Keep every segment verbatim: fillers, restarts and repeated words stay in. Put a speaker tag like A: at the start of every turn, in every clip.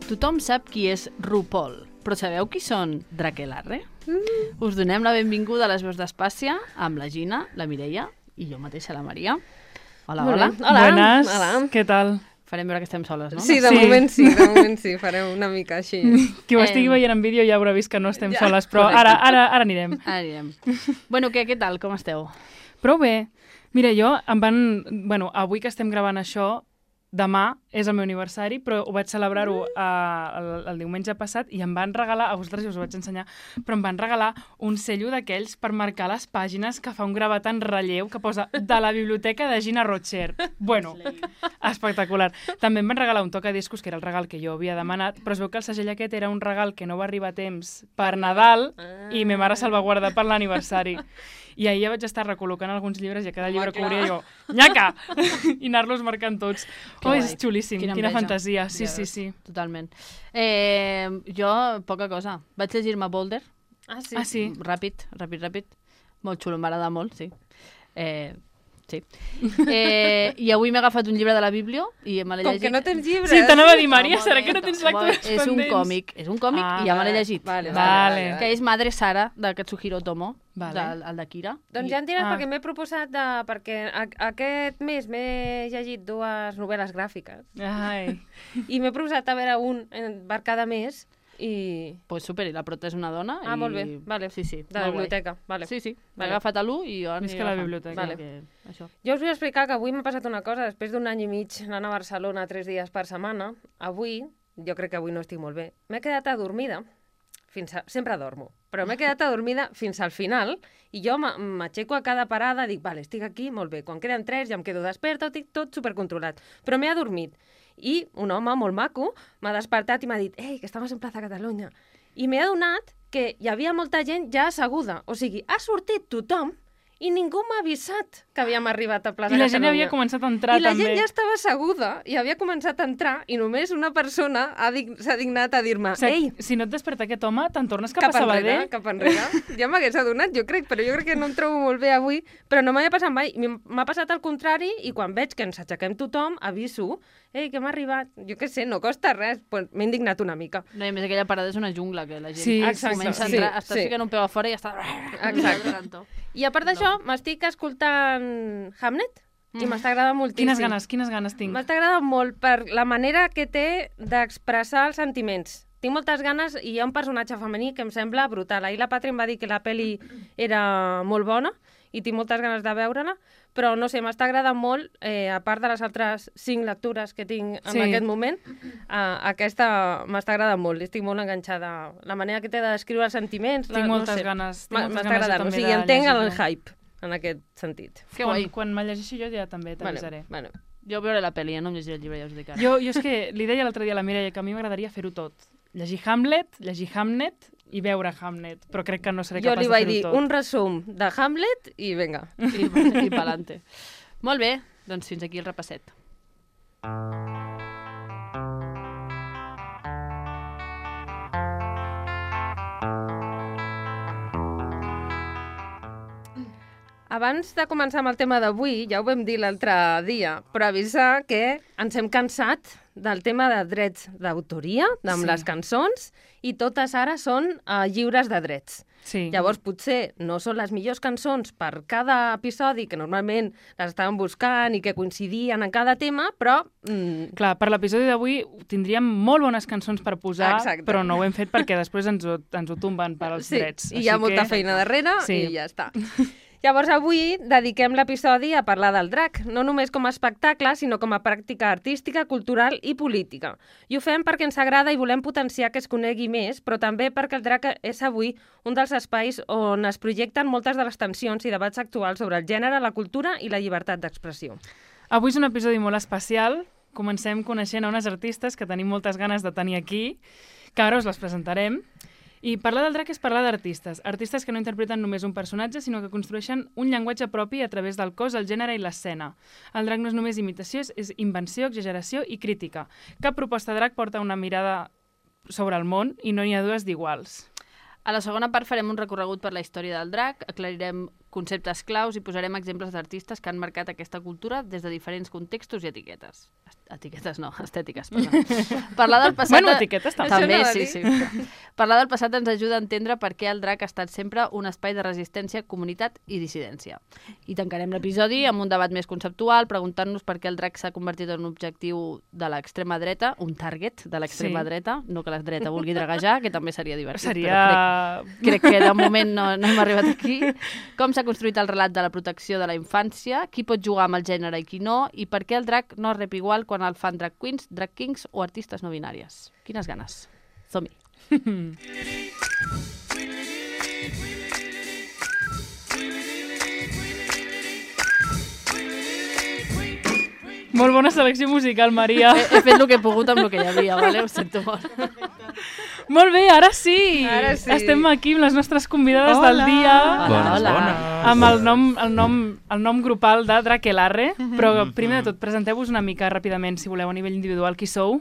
A: Tothom sap qui és RuPaul, però sabeu qui són Drakelarre? Mm. Us donem la benvinguda a les veus d'Espàcia amb la Gina, la Mireia i jo mateixa, la Maria. Hola, hola.
B: Hola.
C: Buenas,
B: Hola.
C: què tal?
A: Farem veure que estem soles, no?
B: Sí, de
C: Sí.
B: moment sí, de moment sí, farem una mica així.
C: Qui ho
A: Eh,
C: estigui veient en vídeo ja haurà vist que no estem
B: ja,
C: soles, però
A: correcte.
C: ara, ara, ara anirem.
A: Ara anirem. Bueno, què, què tal? Com esteu?
C: Prou bé. Mira, jo em van... Bueno, avui que estem gravant això, demà és el meu aniversari, però ho vaig celebrar-ho uh, el, el diumenge passat i em van regalar, a vosaltres ja us ho vaig ensenyar, però em van regalar un cello d'aquells per marcar les pàgines que fa un gravat en relleu que posa de la biblioteca de Gina Rocher. Bueno, espectacular. També em van regalar un tocadiscos, que era el regal que jo havia demanat, però es veu que el segell aquest era un regal que no va arribar a temps per Nadal i me mare salvaguarda per l'aniversari. I ahir ja vaig estar recol·locant alguns llibres i a cada llibre que obria jo, nyaca! I anar-los marcant tots.
A: Que
C: Oh,
A: guai.
C: és xulíssim,
A: Quina
C: quina,
A: enveja.
C: fantasia. Sí,
A: Ja
C: sí,
A: veus.
C: sí.
A: Totalment. Eh, jo, poca cosa. Vaig llegir-me Boulder,
B: Ah, sí?
C: Ah, sí?
A: ràpid, ràpid, ràpid. Molt xulo, m'agrada molt, sí. Eh, sí. Eh, I avui m'he agafat un llibre de la Bíblia i me l'he
B: Com
A: llegit.
B: que no tens llibres.
C: Sí, t'anava a dir, Maria,
A: No,
C: serà
A: molt
C: que no
A: bé.
C: tens lectures
A: És un
C: pendents?
A: còmic, és un còmic
C: Ah,
A: i ja me l'he
B: vale,
A: llegit.
B: vale,
C: vale.
A: Que és Madre Sara, de Katsuhiro Tomo,
C: Vale.
A: del, el de Kira.
B: Doncs
A: I-
B: ja en diràs,
C: Ah.
B: perquè m'he proposat de... Perquè a, aquest mes m'he llegit dues novel·les gràfiques
C: Ai.
B: i m'he proposat a veure un en- per cada mes i...
A: Pues super, i la prota és una dona.
B: Ah,
A: i...
B: molt bé, vale.
A: Sí, sí.
B: De la
A: molt guai.
B: biblioteca, vale.
A: Sí, sí. M'he
B: Vale.
A: agafat a l'u i jo aniré
C: Visca la
A: agafant.
C: biblioteca.
B: Vale.
A: Que, això.
B: Jo us vull explicar que avui m'ha passat una cosa. Després d'un any i mig anant a Barcelona tres dies per setmana, avui, jo crec que avui no estic molt bé, m'he quedat adormida, fins a... sempre dormo, però m'he quedat adormida fins al final i jo m'a- m'aixeco a cada parada, dic, vale, estic aquí, molt bé, quan queden tres ja em quedo desperta, ho tinc tot supercontrolat, però m'he adormit. I un home molt maco m'ha despertat i m'ha dit, ei, que estamos en Plaza Catalunya. I m'he adonat que hi havia molta gent ja asseguda, o sigui, ha sortit tothom i ningú m'ha avisat que havíem arribat a Plaza
C: I la
B: Catalunya.
C: gent havia començat a entrar,
B: I la
C: també.
B: gent ja estava asseguda i havia començat a entrar i només una persona ha dig- s'ha dignat a dir-me
C: O sigui,
B: ei,
C: si no et desperta aquest home, te'n tornes cap,
B: cap
C: a
B: enrere,
C: Sabadell?
B: cap enrere. Ja m'hagués adonat, jo crec, però jo crec que no em trobo molt bé avui, però no m'havia passat mai. M- M'ha passat al contrari i quan veig que ens aixequem tothom, aviso, ei, que m'ha arribat. Jo què sé, no costa res, pues, m'he indignat una mica.
A: No, i a més aquella parada és una jungla, que la gent
C: Sí,
B: exacte.
A: comença a
B: Sí,
A: entrar, estàs
B: sí.
A: ficant un peu a fora i ja està...
B: Exacte. I a part d'això, m'estic escoltant Hamlet i m'està agradant moltíssim.
C: Quines ganes, quines ganes tinc.
B: M'està agradant molt per la manera que té d'expressar els sentiments. Tinc moltes ganes i hi ha un personatge femení que em sembla brutal. Ahir la Patri em va dir que la pel·li era molt bona i tinc moltes ganes de veure-la, però no sé, m'està agradant molt, eh, a part de les altres cinc lectures que tinc en
C: Sí.
B: aquest moment, eh, aquesta m'està agradant molt, estic molt enganxada. La manera que té de descriure els sentiments...
C: Tinc
B: la,
C: moltes
B: no sé,
C: ganes, tinc
B: m'ha-
C: moltes
B: m'està
C: ganes
B: agradant, o
C: també
B: sigui,
C: de
B: entenc el
C: llegir-lo.
B: hype en aquest sentit.
A: Que
C: quan,
A: guai.
C: quan me llegeixi jo ja també t'avisaré.
B: Bueno, bueno.
A: Jo veuré la pel·li, eh? No em llegiré el llibre, ja us ho dic ara.
C: Jo, jo és que li deia l'altre dia a la Mireia que a mi m'agradaria fer-ho tot. Llegir Hamlet, llegir Hamnet i veure Hamlet, però crec que no seré
B: Jo
C: capaç
B: li
C: de
B: vaig
C: fer-ho
B: dir
C: tot.
B: un resum de Hamlet i vinga.
A: I, i pa'lante. Molt bé, doncs fins aquí el repasset.
B: Abans de començar amb el tema d'avui, ja ho vam dir l'altre dia, però avisar que ens hem cansat del tema de drets d'autoria, amb
C: Sí.
B: les cançons, i totes ara són uh, lliures de drets.
C: Sí.
B: Llavors, potser no són les millors cançons per cada episodi, que normalment les estàvem buscant i que coincidien en cada tema, però... Mm,
C: Clar, per l'episodi d'avui tindríem molt bones cançons per posar,
B: Exacte.
C: però no ho hem fet perquè després ens ho, ens ho tomben per als
B: sí,
C: drets.
B: i hi ha
C: Així
B: molta
C: que...
B: feina darrere
C: Sí.
B: i ja està. Llavors, avui dediquem l'episodi a parlar del drac, no només com a espectacle, sinó com a pràctica artística, cultural i política. I ho fem perquè ens agrada i volem potenciar que es conegui més, però també perquè el drac és avui un dels espais on es projecten moltes de les tensions i debats actuals sobre el gènere, la cultura i la llibertat d'expressió.
C: Avui és un episodi molt especial. Comencem coneixent a unes artistes que tenim moltes ganes de tenir aquí, que ara us les presentarem. I parlar del drac és parlar d'artistes. Artistes que no interpreten només un personatge, sinó que construeixen un llenguatge propi a través del cos, el gènere i l'escena. El drac no és només imitació, és invenció, exageració i crítica. Cap proposta de drac porta una mirada sobre el món i no n'hi ha dues d'iguals.
A: A la segona part farem un recorregut per la història del drac, aclarirem conceptes claus i posarem exemples d'artistes que han marcat aquesta cultura des de diferents contextos i etiquetes. Etiquetes no, estètiques, perdó. Parlar del passat...
C: Bueno, etiquetes també.
A: També,
B: Això
A: sí,
B: anava
A: sí. Parlar del passat ens ajuda a entendre per què el drac ha estat sempre un espai de resistència, comunitat i dissidència. I tancarem l'episodi amb un debat més conceptual, preguntant-nos per què el drac s'ha convertit en un objectiu de l'extrema dreta, un target de l'extrema
C: Sí.
A: dreta, no que la dreta vulgui draguejar, que també seria divertit.
C: Seria...
A: Crec, crec que de moment no, no hem arribat aquí. Com s'ha construït el relat de la protecció de la infància, qui pot jugar amb el gènere i qui no, i per què el drac no es rep igual quan el fan drag queens, drag kings o artistes no binàries. Quines ganes. Som-hi.
C: Molt bona selecció musical, Maria.
A: He, he fet el que he pogut amb el que hi havia, vale? Ho sento molt.
C: Molt bé, ara sí.
B: Ara sí.
C: Estem aquí amb les nostres convidades
D: Hola.
C: del dia.
A: Hola, hola.
C: Amb el nom, el nom, el nom grupal de Drakelarre, però primer de tot, presenteu-vos una mica ràpidament, si voleu, a nivell individual, qui sou.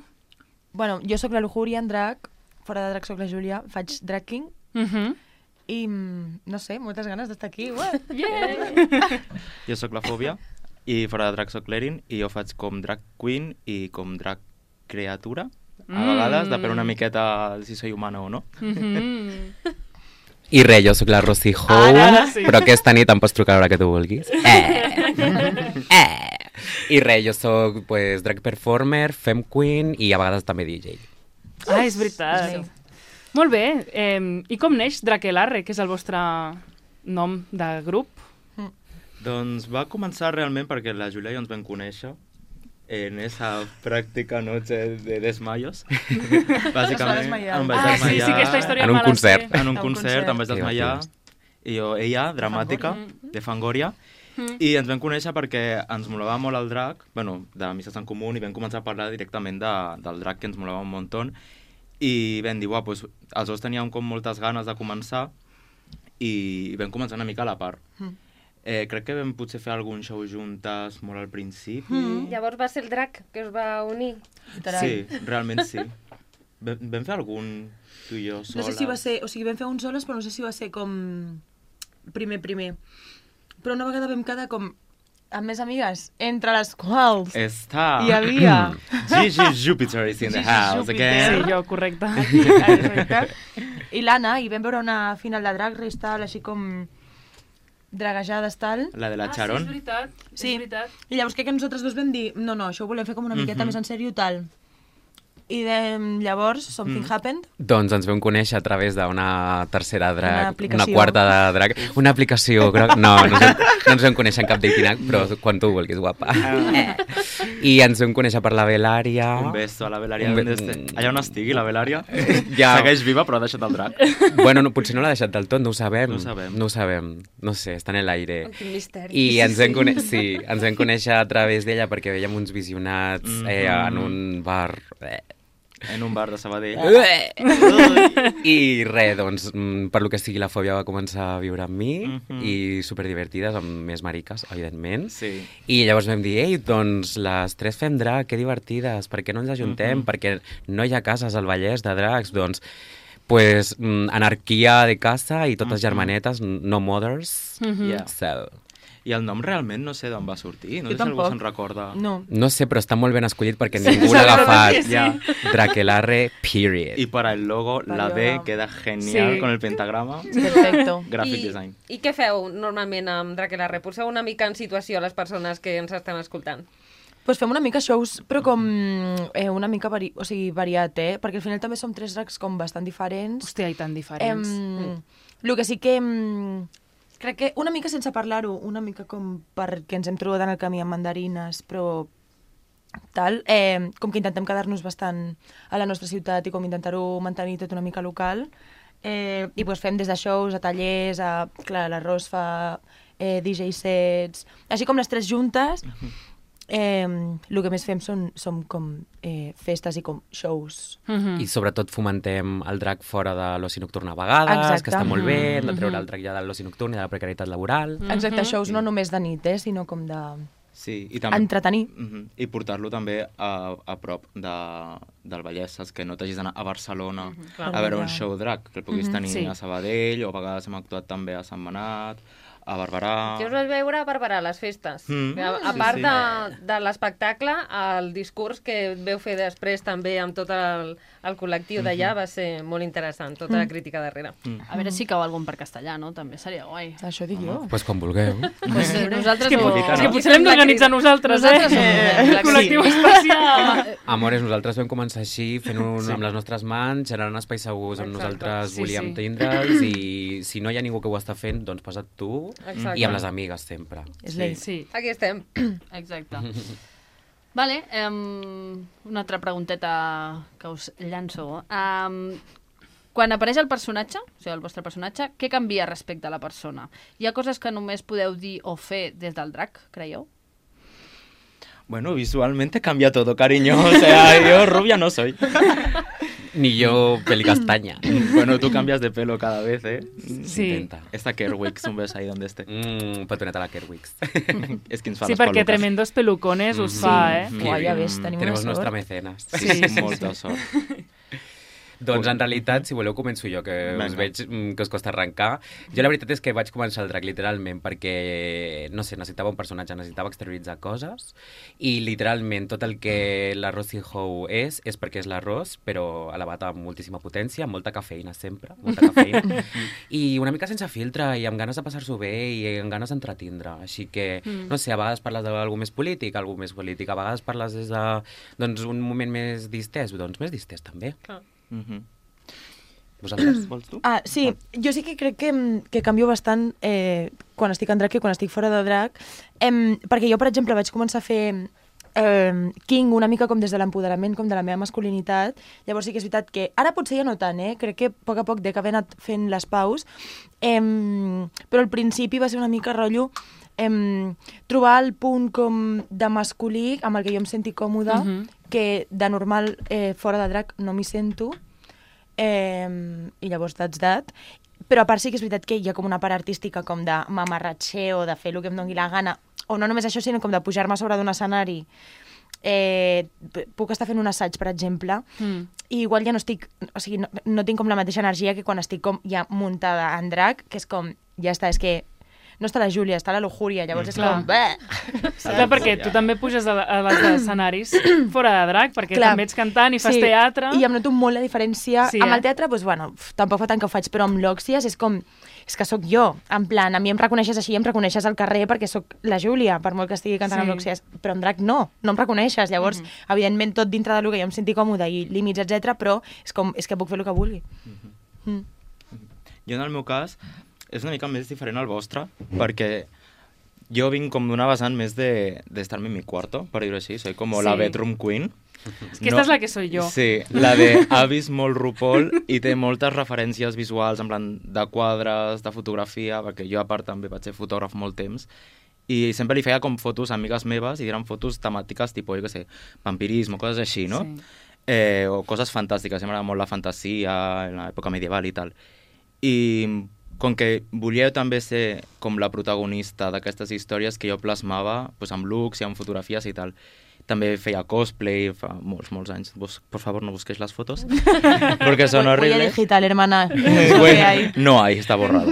D: Bueno, jo sóc la Lujuria en drac, fora de drac sóc la Júlia, faig drag king
C: Uh -huh.
D: i, mm, no sé, moltes ganes d'estar aquí. Ué.
C: Yeah.
E: Jo sóc la Fòbia i fora de drac sóc l'Erin i jo faig com drag queen i com drag creatura. A
C: Mm.
E: vegades depèn una miqueta si soy humana o no.
C: Uh -huh.
F: I res, jo sóc la Rosy Ho,
C: Ara, ara sí.
F: però aquesta nit em pots trucar a l'hora que tu vulguis. Eh! Eh! I res, jo sóc pues, drag performer, femme queen i a vegades també D J.
C: Ah, és veritat.
D: Sí.
C: Molt bé. Eh, I com neix Drakelarre, que és el vostre nom de grup?
E: Doncs va començar realment perquè la Júlia i jo ens vam conèixer en esa pràctica noche de desmayos. Bàsicament,
D: desmaiar.
E: em vaig
C: Ah, sí,
E: desmaiar
C: sí, aquesta història
F: En un
C: me la sé.
F: concert.
E: en un
D: En un
E: concert, em vaig
F: concert.
E: desmaiar i jo, ella, dramàtica, de Fangoria, i ens vam conèixer perquè ens molava molt el drac, bueno, d'amistats en comú, i vam començar a parlar directament de, del drac, que ens molava un muntó, i vam dir, uah, pues, els dos teníem com moltes ganes de començar, i vam començar una mica a la part. Eh, crec que vam potser fer algun show juntes molt al principi.
B: Mm. Llavors va ser el drac que us va unir.
D: Literal.
E: Sí, realment sí. Vam, vam fer algun tu i jo
D: No
E: soles.
D: sé si va ser, o sigui, vam fer un soles, però no sé si va ser com primer, primer. Però una vegada vam quedar com amb més amigues, entre les quals
E: Està.
D: hi havia...
E: Gigi Jupiter is in the
D: Gigi
E: house
D: Jupiter.
E: again.
C: Sí, jo, correcte.
D: Exacte. I l'Anna, i vam veure una final de Drag Race tal, així com dragejades tal.
E: La de la
C: Ah, sí,
E: Charon.
C: és veritat.
D: Sí.
C: És veritat.
D: I llavors crec que nosaltres dos vam dir, no, no, això ho volem fer com una miqueta
E: Mhm.
D: més en sèrio tal. I de, llavors, Something
E: Mm.
D: Happened.
F: Doncs ens vam conèixer a través d'una tercera drag,
D: Una
F: una,
D: aplicació.
F: quarta de drag, una aplicació, groc, no, no ens, vam, no ens vam conèixer en cap dating app, però quan tu vulguis, guapa. Eh. I ens vam conèixer per la Belària.
E: Un beso a la Belària.
F: Un be-
E: Un este... Allà on estigui, la Belària.
F: Ja.
E: Segueix viva, però ha deixat el drac.
F: Bueno, no, potser no l'ha deixat del tot, no ho sabem.
E: No ho sabem.
F: No ho sabem, no sé, està en l'aire.
B: Quin misteri.
F: I ens vam, conèixer, sí, ens vam conèixer a través d'ella perquè veiem uns visionats eh, en un bar... Eh.
E: En un bar de Sabadell.
F: I res, doncs, mm, per lo que sigui, la fòbia va començar a viure amb mi
E: Mhm.
F: i superdivertides, amb més mariques, evidentment.
E: Sí.
F: I llavors vam dir, ei, doncs les tres fem drag, que divertides, per què no ens ajuntem?
E: Mhm.
F: Perquè no hi ha cases al Vallès de drags, doncs, pues, mm, anarquia de casa i totes
E: Mhm.
F: germanetes, no mothers.
C: Mhm.
E: Yeah.
F: So,
E: I el nom realment no sé d'on va sortir. No
D: Jo
E: sé si algú
D: tampoc.
E: se'n recorda.
D: No.
F: no sé, però està molt ben escollit perquè
C: Sí,
F: ningú
C: la
F: l'ha
C: veritat
F: agafat.
C: que sí.
E: Ja.
F: Drakelarre, period.
E: Y para el logo, la D
D: Vale,
E: queda genial
C: Sí.
E: con el pentagrama.
D: Perfecto.
E: Graphic
B: I,
E: design.
B: I què feu normalment amb Drakelarre? Poseu una mica en situació a les persones que ens estan escoltant.
D: Pues fem una mica shows, però com eh, una mica vari... o sigui, variat, eh? Perquè al final també som tres drags com bastant diferents.
C: Hòstia, i tan diferents.
D: Em, el que sí que... Em, crec que una mica sense parlar-ho, una mica com perquè ens hem trobat en el camí amb mandarines, però tal, eh, com que intentem quedar-nos bastant a la nostra ciutat i com intentar-ho mantenir tot una mica local. Eh, I pues fem des de shows a tallers, a, clar, l'Arròs fa eh, D J sets, així com les tres juntes. Eh, el que més fem són, som com eh, festes i com shows.
C: Mhm.
F: I sobretot fomentem el drac fora de l'oci nocturn a vegades,
D: Exacte.
F: que està molt bé, hem de treure
D: Mhm.
F: el drac ja de l'oci nocturn i de la precarietat laboral.
D: Exacte, shows no només de nit, eh, sinó com de...
E: Sí, i també...
D: Entretenir.
E: Mhm. I portar-lo també a, a prop de, del Vallès, saps? Que no t'hagis d'anar a Barcelona
B: clar.
E: a veure un
D: Ja.
E: show drag, que el puguis
D: Mhm,
E: tenir
C: sí.
E: a Sabadell, o a vegades hem actuat també a Sant Manat, a Barberà...
B: Jo us vaig veure a Barberà, a les festes.
E: Mm,
B: a, a
E: sí,
B: part
E: sí.
B: de, de l'espectacle, el discurs que veu fer després també amb tot el, el col·lectiu d'allà va ser molt interessant, tota la crítica darrere.
E: Mm.
A: A veure si cau algun per castellà, no? També seria guai.
D: Això dic jo.
F: Pues quan vulgueu.
A: Pues, eh, nosaltres
C: És que,
A: ho...
C: pot- és que
E: no.
C: potser l'hem d'organitzar nosaltres,
A: Nosaltres
C: eh?
A: ho podem,
C: Col·lectiu
A: sí.
C: especial.
F: Amores, nosaltres vam començar així, fent un, sí. amb les nostres mans, generant espais segurs on
B: Exacte.
F: nosaltres
C: Sí,
F: volíem
C: sí.
F: tindre'ls, i si no hi ha ningú que ho està fent, doncs posa't tu,
B: Exacte.
F: i amb les amigues sempre.
D: És l'ell.
C: Sí.
B: Aquí estem.
A: Exacte. Vale, um, una altra pregunteta que us llanço. Um, quan apareix el personatge, o sigui, el vostre personatge, què canvia respecte a la persona? Hi ha coses que només podeu dir o fer des del drac, creieu?
E: Bueno, visualmente cambia todo, cariño. O sea, yo rubia no soy.
F: Ni yo, pelicastaña.
E: Bueno, tú cambias de pelo cada vez, ¿eh?
C: Sí.
F: Intenta.
E: Esta Kerwix, un beso ahí donde esté.
F: Mm, petoneta a la Kerwix.
E: És qui ens fa
C: Sí,
E: les
C: perquè
E: peluques.
C: tremendos pelucones us
F: Mm.
C: fa, eh?
E: Sí.
D: Uah, ja ves, tenim una
F: Tenemos
D: sort.
F: nuestra mecenas.
E: Sí,
C: Sí, sí,
E: molta sort.
F: Doncs en realitat, si voleu, començo jo, que
E: Vinga.
F: us veig mm, que us costa arrencar. Jo la veritat és que vaig començar el drac literalment perquè, no sé, necessitava un personatge, necessitava exterioritzar coses, i literalment tot el que la Rosy Howe és, és perquè és l'arròs, però elevat amb moltíssima potència, amb molta cafeïna sempre, molta cafeïna, i una mica sense filtre, i amb ganes de passar-s'ho bé, i amb ganes d'entretindre. Així que,
A: Mm.
F: no sé, a vegades parles d'algú més polític, algú més polític, a vegades parles des de, doncs, un moment més distès, doncs més distès també.
B: Clar.
E: Mhm.
F: Vosaltres?
E: Vols tu?
D: Ah, sí, jo sí que crec que, que canvio bastant eh, quan estic en drac i quan estic fora de drac, eh, perquè jo, per exemple, vaig començar a fer eh, King una mica com des de l'empoderament, com de la meva masculinitat. Llavors sí que és veritat que, ara potser ja no tant, eh? Crec que a poc a poc dec haver anat fent les paus, eh, però al principi va ser una mica rotllo eh, trobar el punt com de masculí amb el que jo em senti còmoda,
C: Mhm.
D: que de normal eh, fora de drac no m'hi sento, eh, i llavors that's that. Però a part sí que és veritat que hi ha com una part artística com de mamarratxeo, de fer el que em doni la gana, o no només això, sinó com de pujar-me a sobre d'un escenari. Eh, p- puc estar fent un assaig, per exemple,
C: Mm.
D: i igual ja no estic, o sigui, no, no tinc com la mateixa energia que quan estic com ja muntada en drac, que és com, ja està, és que no està la Júlia, està la lujuria, llavors és
C: Clar.
D: com... Bé!
C: Clar, perquè tu també puges a, a les escenaris fora de drac, perquè
D: Clar.
C: també ets cantant i fas
D: Sí,
C: teatre.
D: I em noto molt la diferència.
C: Sí,
D: amb
C: eh?
D: el teatre, doncs, bueno, uf, tampoc fa tant que ho faig, però amb l'Òxies és com... És que sóc jo, en plan, a mi em reconeixes així, em reconeixes al carrer perquè sóc la Júlia, per molt que estigui cantant
C: Sí.
D: amb l'Òxies, però en drac no, no em reconeixes. Llavors, mm -hmm. evidentment, tot dintre del que jo em senti còmode i límits, etcètera, però és com, és que puc fer el que vulgui. Mm.
E: Jo, en el meu cas, és una mica més diferent al vostre, perquè jo vinc com d'una vessant més de, de estar-me en mi cuarto, per dir-ho així. Soy como
C: Sí.
E: la bedroom queen.
C: És que esta és la que soy jo.
E: Sí, la de ha vist molt RuPaul i té moltes referències visuals, en plan de quadres, de fotografia, perquè jo a part també vaig ser fotògraf molt temps, i sempre li feia com fotos a amigues meves i eren fotos temàtiques tipus, jo què sé, vampirisme, coses així, no?
C: Sí.
E: Eh, o coses fantàstiques, m'agrada molt la fantasia, en l'època medieval i tal. I com que volia també ser com la protagonista d'aquestes històries que jo plasmava pues, amb looks i amb fotografies i tal. També feia cosplay fa molts, molts anys. Bus, por favor, no busquéis las fotos, porque son
D: Huella
E: horribles.
D: digital, hermana.
E: Eh,
D: Eso que
E: bueno,
D: hay.
E: no hay, està borrada.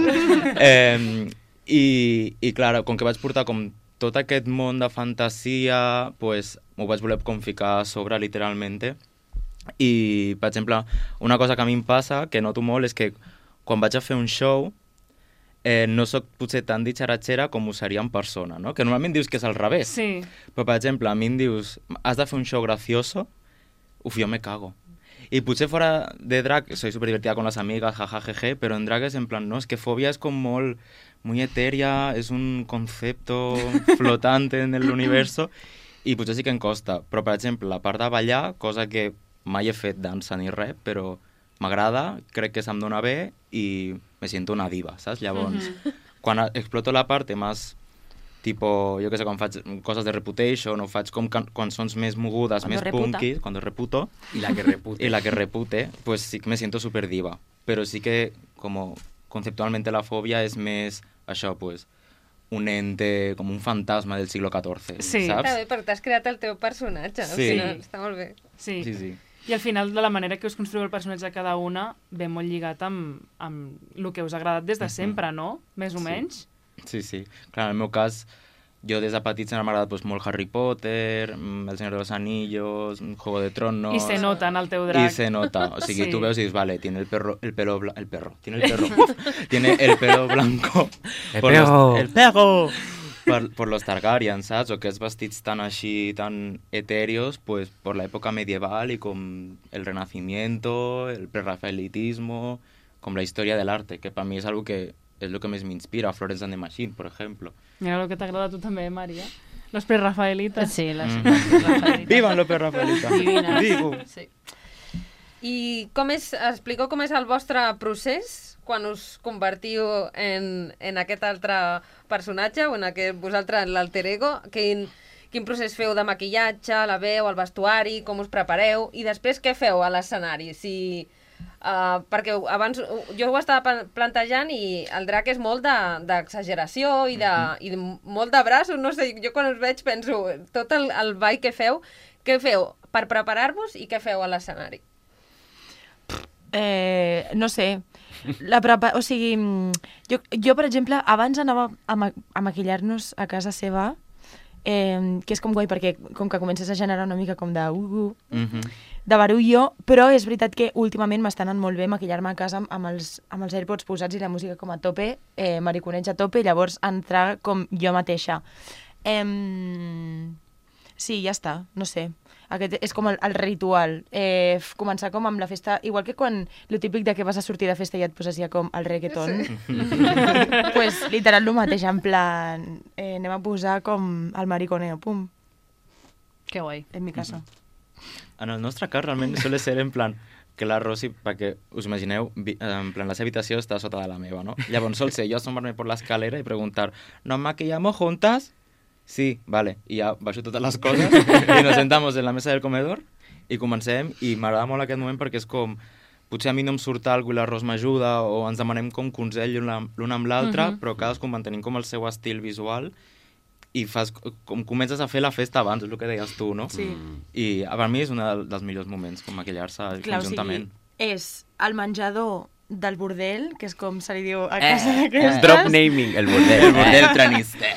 E: Eh, i, I, clar, com que vaig portar com tot aquest món de fantasia, pues, m'ho vaig voler com ficar a sobre, literalment. I, per exemple, una cosa que a mi em passa, que noto molt, és que quan vaig a fer un show, eh, no sóc potser tan ditxaratxera com ho seria en persona, no? Que normalment dius que és al revés.
C: Sí.
E: Però, per exemple, a mi em dius, has de fer un show gracioso, uf, jo me cago. Y potser fora de drag soy súper divertida con las amigas, jajajeje, pero en drag es en plan, no, es que fobia es como muy, muy etérea, es un concepto flotante en el universo, i potser sí que em costa. Però, per exemple, la part de ballar, cosa que mai he fet dansa ni res, però m'agrada, crec que se'm dona bé i me siento una diva, saps? Llavors,
C: Mhm.
E: quan exploto la parte más tipo, jo què sé, quan faig coses de Reputation o faig com can cançons més mogudes,
D: Cuando
E: més
D: reputa.
E: punky, quan reputo,
F: Y la que repute.
E: y la que repute, pues sí que me siento súper diva. Pero sí que, como conceptualmente la fobia es més, això, pues, un ente, com un fantasma del siglo catorze,
C: Sí.
B: Està
E: saps?
B: bé, perquè t'has creat el teu personatge. Al
E: Sí.
B: final, està molt bé.
C: Sí.
E: Sí, sí.
C: I al final, de la manera que us construïu el personatge cada una, ve molt lligat amb, amb el que us ha agradat des de sempre, no? Més o
E: Sí.
C: menys.
E: Sí, sí. Clar, en el meu cas, jo des de petit sempre m'ha agradat pues, molt Harry Potter, El Señor de los Anillos, Juego de Tronos...
C: I se nota en el teu drac.
E: Y se nota. O sigui,
C: Sí.
E: tú ves y dices, vale, tiene el perro, el pelo blanco, el perro, tiene el perro, tiene el pelo blanco.
F: El
E: por
F: perro.
E: Los, el perro. Por, por los Targaryen, saps? O aquests vestits tan així, tan etéreos, pues por la época medieval y con el renacimiento, el prerrafaelitismo, com la història de l'arte, que per mi és algo que és el que més m'inspira, Florence and the Machine, per exemple.
C: Mira el que t'agrada a tu també, Maria. Los prerrafaelitas.
A: Sí, les...
E: Mm.
A: les
E: Vivan los prerrafaelitas!
A: Divines.
E: Digo!
A: Sí.
B: I com és, expliqueu com és el vostre procés quan us convertiu en, en aquest altre personatge o en aquest, vosaltres, en l'alter ego? Quin, quin procés feu de maquillatge, la veu, el vestuari, com us prepareu? I després què feu a l'escenari? Si, uh, perquè abans jo ho estava plantejant i el drac és molt d'exageració de, i, de, mm-hmm. i de, molt de braços, no sé, jo quan us veig penso tot el, el ball que feu, què feu per preparar-vos i què feu a l'escenari?
D: Eh, no sé, la prepa... o sigui, jo, jo, per exemple, abans anava a, ma a maquillar-nos a casa seva, eh, que és com guai perquè com que comences a generar una mica com de uh, uh,
E: Mm-hmm.
D: de barullo, però és veritat que últimament m'està anant molt bé maquillar-me a casa amb, amb, els, amb els AirPods posats i la música com a tope, eh, mariconeig a tope, i llavors entrar com jo mateixa. Eh, sí, ja està, no sé. Aquest és com el, el ritual. Eh, començar com amb la festa, igual que quan lo típic de que vas a sortir de festa i et poses ja com el reggaeton. Sí. Pues literal el mateix, en plan, eh, anem a posar com el mariconeo, pum,
A: Que guai.
D: en mi casa.
E: En el nostre cas realment suele ser en plan que la Rosy, perquè us imagineu, vi- en plan la seva habitació està sota de la meva, no? Llavors sol ser jo asomar-me por la escalera y preguntar, ¿nos maquillamos juntas? Sí, vale. I ja baixo totes les coses i nos sentamos en la mesa del comedor i comencem, i m'agrada molt aquest moment perquè és com, potser a mi no em surt alguna i l'Arròs m'ajuda, o ens demanem com consell l'un amb l'altre,
A: Mhm.
E: però cadascun mantenim com el seu estil visual i fas, com comences a fer la festa abans, és el que deies tu, no?
D: Sí.
E: I per mi és un dels millors moments, com maquillar-se
D: Clar, o
E: conjuntament.
D: sigui, és el menjador del bordel, que és com se li diu a
F: Eh,
D: casa
F: eh,
D: d'aquestes,
F: drop naming, el bordel.
E: El bordel traniste.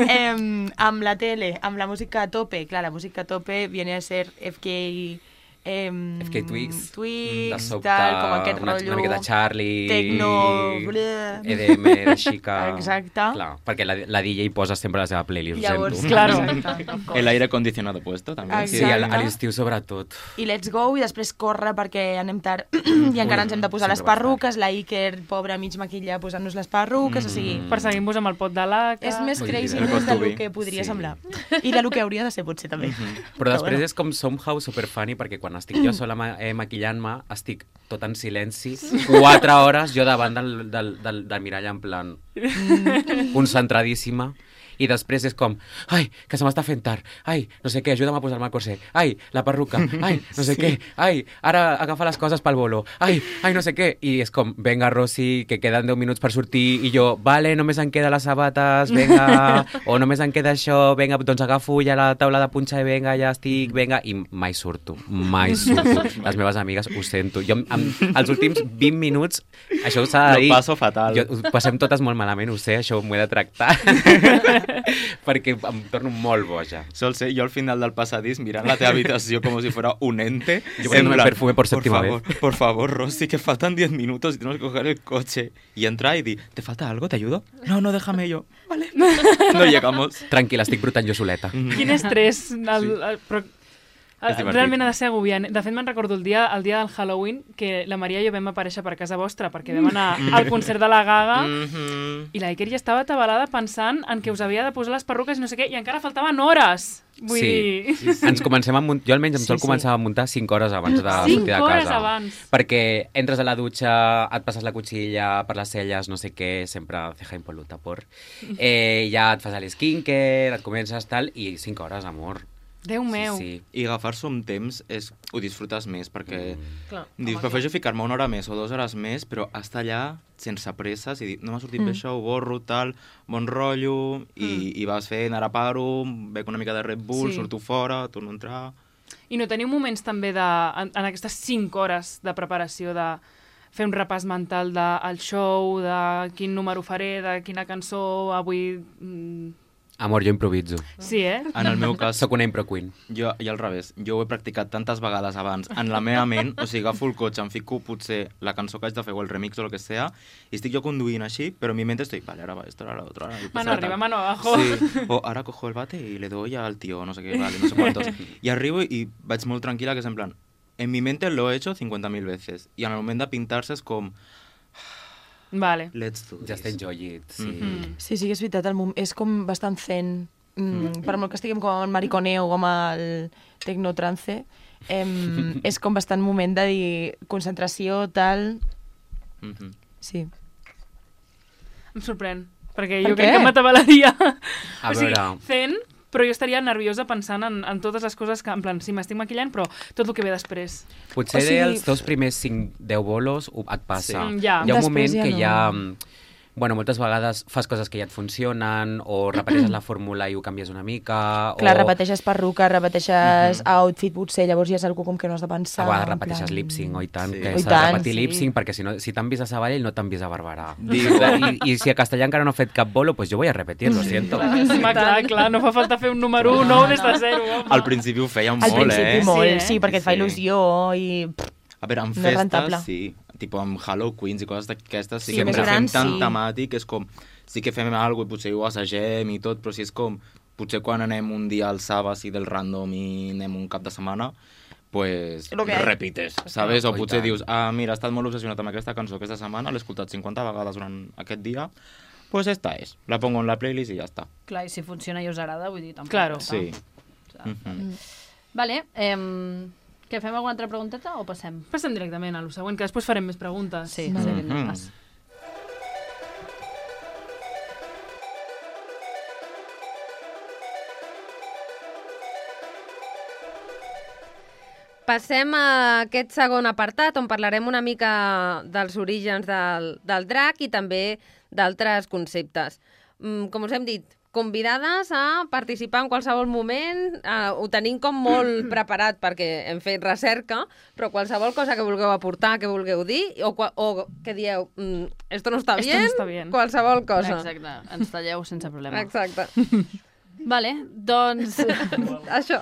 D: eh, amb la tele, amb la música a tope. Clar, la música a tope viene a ser F K... Eh,
F: F K Twigs.
D: Twigs,
F: De sobte,
D: tal, com aquest
F: una,
D: rotllo...
F: una miqueta Charlie,
D: Tecno, bleh.
F: E D M, de xica...
D: Exacte.
F: Clar, perquè la, la D J posa sempre la seva playlist,
D: Llavors,
F: ho sento.
C: Claro.
D: exacte, of course.
E: El aire acondicionado puesto, també.
F: Sí,
D: Exacte.
F: a, a l'estiu sobretot.
D: I let's go, i després corre perquè anem tard i encara ens hem de posar les
F: sempre vas
D: perruques, la Iker, pobra, mig maquilla, posant-nos les perruques, o sigui...
C: Perseguim-vos amb el pot de laca.
D: És més
F: Ui,
D: crazy
F: el
D: més del
E: costubi.
D: que podria
F: Sí.
D: semblar. I del que hauria de ser, potser, també.
F: Però després
D: bueno.
F: és com somehow superfunny, perquè quan estic jo sola ma eh, maquillant-me, estic tot en silenci, quatre hores jo davant del, del, del, del mirall en plan concentradíssima, i després és com, ai, que se m'està fent tard, ai, no sé què, ajuda'm a posar-me el corset, ai, la perruca, ai, no sé sí. què, ai, ara agafa les coses pel bolo, ai, ai, no sé què, i és com, venga, Rosy, que queden deu minuts per sortir, i jo, vale, només em queda les sabates, venga, o només em queda això, venga, doncs agafo ja la taula de punxa i venga, ja estic, venga, i mai surto, mai surto. Les meves amigues ho sento. Jo, amb, els últims vint minuts, això s'ha de
E: Lo
F: dir...
E: passo fatal.
F: Jo, ho passem totes molt malament, ho sé, això m'ho he de tractar. Perquè em torno molt boja.
E: Sol ser jo al final del passadís mirant la teva habitació com si fuera un ente.
F: Yo poniéndome
E: en plan,
F: perfume por séptima
E: favor, Por favor, Rosy, que faltan diez minutos y tenemos que coger el coche. Y entra y di, ¿te falta algo? ¿Te ayudo? No, no, déjame yo. Vale. No llegamos.
F: Tranquil·la, estic brotant jo soleta.
C: Quin estrès. El, el, però,
E: És divertit.
C: realment ha de ser agobiant. De fet, me'n recordo el dia, el dia del Halloween, que la Maria i jo vam aparèixer per casa vostra perquè vam anar al concert de la Gaga
E: Mhm.
C: i la Iker ja estava atabalada pensant en que us havia de posar les perruques i no sé què, i encara faltaven hores. Vull
F: Sí.
C: dir...
F: Ens comencem a muntar, jo almenys em
D: Sí,
F: sol
D: sí.
F: començar a muntar cinc hores abans de
C: Cinc
F: sortir de
C: hores
F: casa.
C: abans.
F: Perquè entres a la dutxa, et passes la cuchilla per les celles, no sé què, sempre ceja impoluta por. Eh, ja et fas l'esquincare, et comences tal, i cinc hores, amor.
C: Déu meu.
F: Sí,
E: I agafar-s'ho amb temps és, ho disfrutes més, perquè
B: Clar.
E: dius, prefereixo ficar-me una hora més o dues hores més, però estar allà sense presses i dir, no m'ha sortit bé això, ho borro, tal, bon rotllo, i, i vas fent, ara paro, bec una mica de Red Bull,
C: Sí.
E: surto fora, torno a entrar...
C: I no teniu moments també de, en, en aquestes cinc hores de preparació de fer un repàs mental del show, de quin número faré, de quina cançó avui... Mm.
F: Amor, jo improviso.
C: Sí, eh?
E: En el meu cas,
F: Soc una impro queen.
E: jo, i al revés, jo ho he practicat tantes vegades abans en la meva ment, o sigui, agafo el cotxe, em fico potser la cançó que haig de fer o el remix o el que sea, i estic jo conduint així, però en mi mente estoy, vale, ahora va esto, ahora lo otro, ahora...
C: Mano arriba, mano abajo.
E: Sí, o ahora cojo el bate y le doy al tío, no sé qué, vale, no sé cuántos. Y arribo y vaig molt tranquil·la, que és en plan, en mi mente lo he hecho cincuenta mil veces, i en el moment de pintar-se és com...
C: Vale.
E: Let's do this.
F: Just enjoy it, sí.
C: Mm.
D: Sí, sí que és veritat, el mom... és com bastant zen. Mm, per molt que estiguem com en mariconeo o amb el tecnotrance, em, és com bastant moment de dir concentració, tal...
E: Mhm.
D: Sí.
C: Em sorprèn, perquè
D: Per
C: jo crec
D: què?
C: que m'atabalaria.
F: A
C: o sigui,
F: veure.
C: fent, però jo estaria nerviosa pensant en, en totes les coses que, en plan, sí, m'estic maquillant, però tot el que ve després.
F: Potser
D: O sigui-
F: els teus primers cinc deu bolos ho- et passa.
E: Sí.
C: Mm, ja.
F: Hi ha un
D: Després
F: moment
D: ja
F: que
D: no.
F: hi ha... Bueno, moltes vegades fas coses que ja et funcionen, o repeteixes la fórmula i ho canvies una mica,
D: Clar,
F: o
D: repeteixes perruca, repeteixes outfit, potser, llavors ja és algú com que no has de pensar.
F: a vegades
D: en
F: repeteixes
D: plan-
F: lip-sync, oi tant,
E: Sí.
F: que
D: Oi
F: s'ha de
D: tant,
F: repetir
D: sí.
F: lip-sync, perquè si, no, si t'han vist a Sabadell no t'han vist a Barberà.
E: Digo-
F: I, I si a Castellà encara no he fet cap bolo, pues jo voy a repetir, lo siento.
C: Sí, clar, clar, clar, no fa falta fer un número un nou des de zero. Home.
E: Al principi ho feia
D: Al
E: molt,
D: principi
E: eh?
D: molt,
C: Sí, eh?
D: sí, perquè et fa
E: Sí.
D: il·lusió i...
E: A veure, en
D: No és rentable.
E: festes, sí. Tipo amb Halo Queens i coses d'aquestes, sí,
D: Sí,
E: que
D: més
E: ens fem
D: grans,
E: tan
D: sí.
E: temàtic, és com... Sí que fem alguna cosa i potser ho assagem i tot, però si és com... Potser quan anem un dia al Saba, sí, del random i anem un cap de setmana, pues
D: Lo que hay.
E: repites, ¿sabes? O
F: Oi
E: potser
F: tant.
E: dius, ah, mira, he estat molt obsessionat amb aquesta cançó aquesta setmana, l'he escoltat cinquanta vegades durant aquest dia, pues esta és. La pongo en la playlist i ja està.
A: Clar, i si funciona i us agrada, vull dir, tampoc.
C: Claro.
E: Sí.
A: O sigui,
E: Mhm.
A: Vale, eh, que fem alguna altra pregunteta o passem?
C: Passem directament a lo següent, que després farem més preguntes.
A: Sí,
D: Vale.
A: sí, anem
E: Mhm.
A: pas.
B: Passem a aquest segon apartat on parlarem una mica dels orígens del, del drac i també d'altres conceptes. Mm, com us hem dit, convidades a participar en qualsevol moment, eh, ho tenim com molt preparat perquè hem fet recerca, però qualsevol cosa que vulgueu aportar, que vulgueu dir, o, qua- o que dieu, mm, esto no està
C: Esto
B: bien,
C: no está bien.
B: qualsevol cosa.
A: Exacte, ens talleu sense problema.
B: Exacte.
A: Vale, doncs...
B: Això.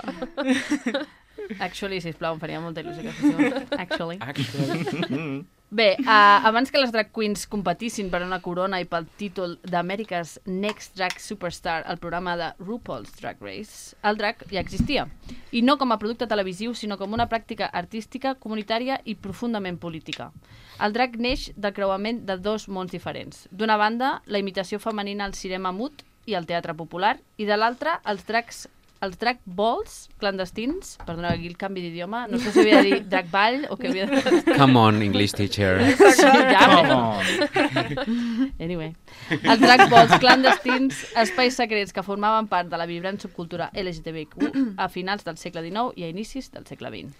A: Actually, sisplau, em faria molta il·lusió que féssim. Actually.
F: Actually.
A: Bé, uh, abans que les drag queens competissin per una corona i pel títol d'America's Next Drag Superstar al programa de RuPaul's Drag Race, el drag ja existia. I no com a producte televisiu, sinó com una pràctica artística, comunitària i profundament política. El drag neix del creuament de dos mons diferents. D'una banda, la imitació femenina al cinema mut i al teatre popular, i de l'altra, els drags els drag balls clandestins, perdoneu aquí el canvi d'idioma, no sé si havia de dir drag ball o què havia de dir.
F: Come on, English teacher.
A: Sí, ja,
E: Come
A: però-
E: on!
A: Anyway. Els drag balls clandestins, espais secrets que formaven part de la vibrant subcultura L G T B Q a finals del segle dinou i a inicis del segle vint.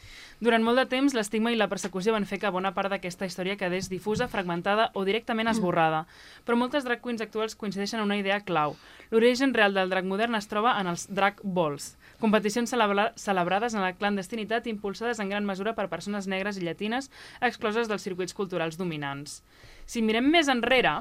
C: Durant molt de temps, l'estigma i la persecució van fer que bona part d'aquesta història quedés difusa, fragmentada o directament esborrada. Però moltes drag queens actuals coincideixen en una idea clau. L'origen real del drag modern es troba en els drag balls, competicions celebra celebrades en la clandestinitat impulsades en gran mesura per persones negres i llatines excloses dels circuits culturals dominants. Si mirem més enrere,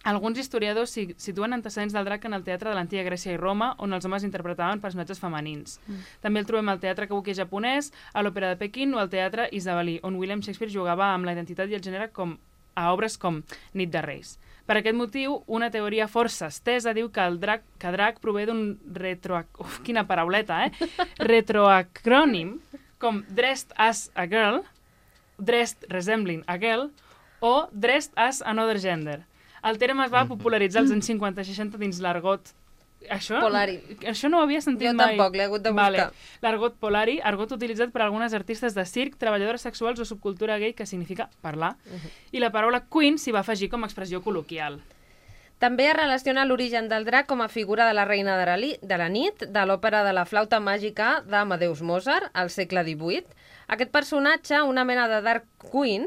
C: alguns historiadors si situen antecedents del drac en el teatre de l'antiga Grècia i Roma, on els homes interpretaven personatges femenins. Mm. També el trobem al teatre kabuki japonès, a l'òpera de Pequín o al teatre isabelí, on William Shakespeare jugava amb la identitat i el gènere com a obres com Nit de Reis. Per aquest motiu, una teoria força estesa diu que el drac, que drac prové d'un retro... Uf, quina parauleta, eh? retroacrònim, com Dressed as a Girl, Dressed Resembling a Girl, o Dressed as Another Gender. El terme es va popularitzar als anys cinquanta seixanta dins l'argot. Això,
B: Polari.
C: això no ho havia sentit
B: Jo
C: mai.
B: tampoc, l'he hagut de buscar.
C: Vale. L'argot polari, argot utilitzat per algunes artistes de circ, treballadores sexuals o subcultura gay, que significa parlar. Uh -huh. I la paraula queen s'hi va afegir com a expressió col·loquial.
B: També es relaciona l'origen del drac com a figura de la reina de la, li, de la nit, de l'òpera de la flauta màgica d'Amadeus Mozart, al segle divuit. Aquest personatge, una mena de Dark Queen,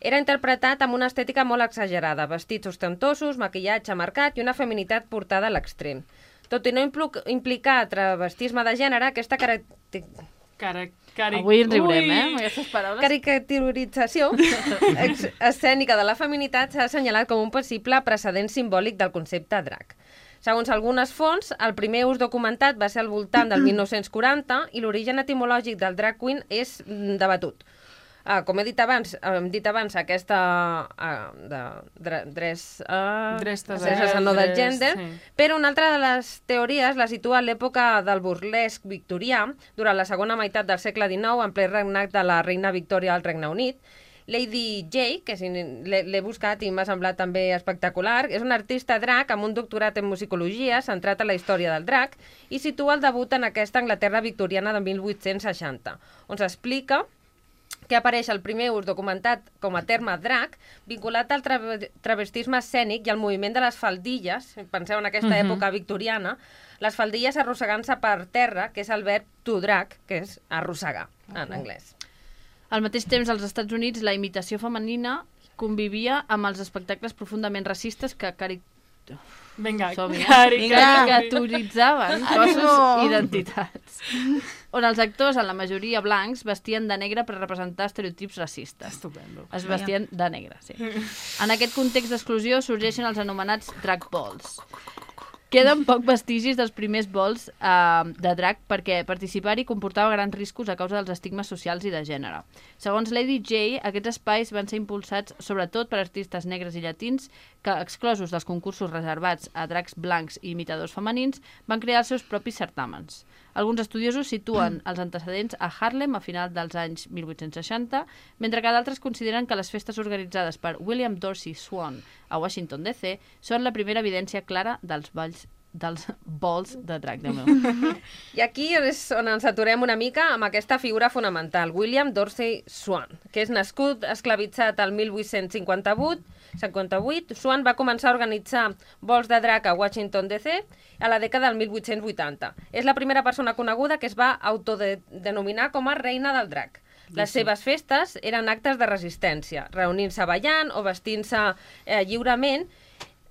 B: era interpretat amb una estètica molt exagerada, vestits ostentosos, maquillatge marcat i una feminitat portada a l'extrem. Tot i no implicar travestisme de gènere, aquesta característica
C: Cara, cari...
A: Avui ens riurem,
C: Ui!
A: eh, amb aquestes paraules.
B: Caricaturització ex- escènica de la feminitat s'ha assenyalat com un possible precedent simbòlic del concepte drac. Segons algunes fonts, el primer ús documentat va ser al voltant del mil nou-cents quaranta i l'origen etimològic del drag queen és mm, debatut. Uh, com he dit abans, hem dit abans aquesta uh, de, dre, dress, uh,
C: Dress to
B: dress
C: dress,
B: no del
C: dress,
B: gender,
C: sí.
B: però una altra de les teories la situa en l'època del burlesc victorià, durant la segona meitat del segle dinou, en ple regnat de la reina Victòria al Regne Unit. Lady J, que si l'he l'he buscat i m'ha semblat també espectacular, és una artista drag amb un doctorat en musicologia centrat en la història del drag i situa el debut en aquesta Anglaterra victoriana de mil vuit-cents seixanta, on s'explica que apareix el primer ús documentat com a terme drag, vinculat al tra travestisme escènic i al moviment de les faldilles, penseu en aquesta
C: Mhm.
B: època victoriana, les faldilles arrossegant-se per terra, que és el verb to drag, que és arrossegar, en anglès.
A: Al mateix temps, als Estats Units, la imitació femenina convivia amb els espectacles profundament racistes que cari...
C: Vinga,
A: Som-hi, eh?
C: cari,
D: Vinga.
C: cari.
A: caricaturitzaven cossos
D: Ánimo.
A: i identitats. On els actors, en la majoria blancs, vestien de negre per representar estereotips racistes.
C: Estupendo.
A: Es vestien de negre, sí. En aquest context d'exclusió sorgeixen els anomenats drag balls. Queden poc vestigis dels primers balls eh, de drag perquè participar-hi comportava grans riscos a causa dels estigmes socials i de gènere. Segons Lady J, aquests espais van ser impulsats sobretot per artistes negres i llatins que, exclosos dels concursos reservats a drags blancs i imitadors femenins, van crear els seus propis certàmens. Alguns estudiosos situen els antecedents a Harlem a final dels anys mil vuit-cents seixanta, mentre que d'altres consideren que les festes organitzades per William Dorsey Swann a Washington D C són la primera evidència clara dels balls dels balls de drag, Déu meu.
B: I aquí és on ens aturem una mica amb aquesta figura fonamental, William Dorsey Swann, que és nascut esclavitzat al mil vuit-cents cinquanta-vuit, cinquanta-vuit. Swann va començar a organitzar vols de drag a Washington D C a la dècada del mil vuit-cents vuitanta. És la primera persona coneguda que es va autodenominar com a reina del drag. Les seves festes eren actes de resistència, reunint-se ballant o vestint-se eh, lliurement.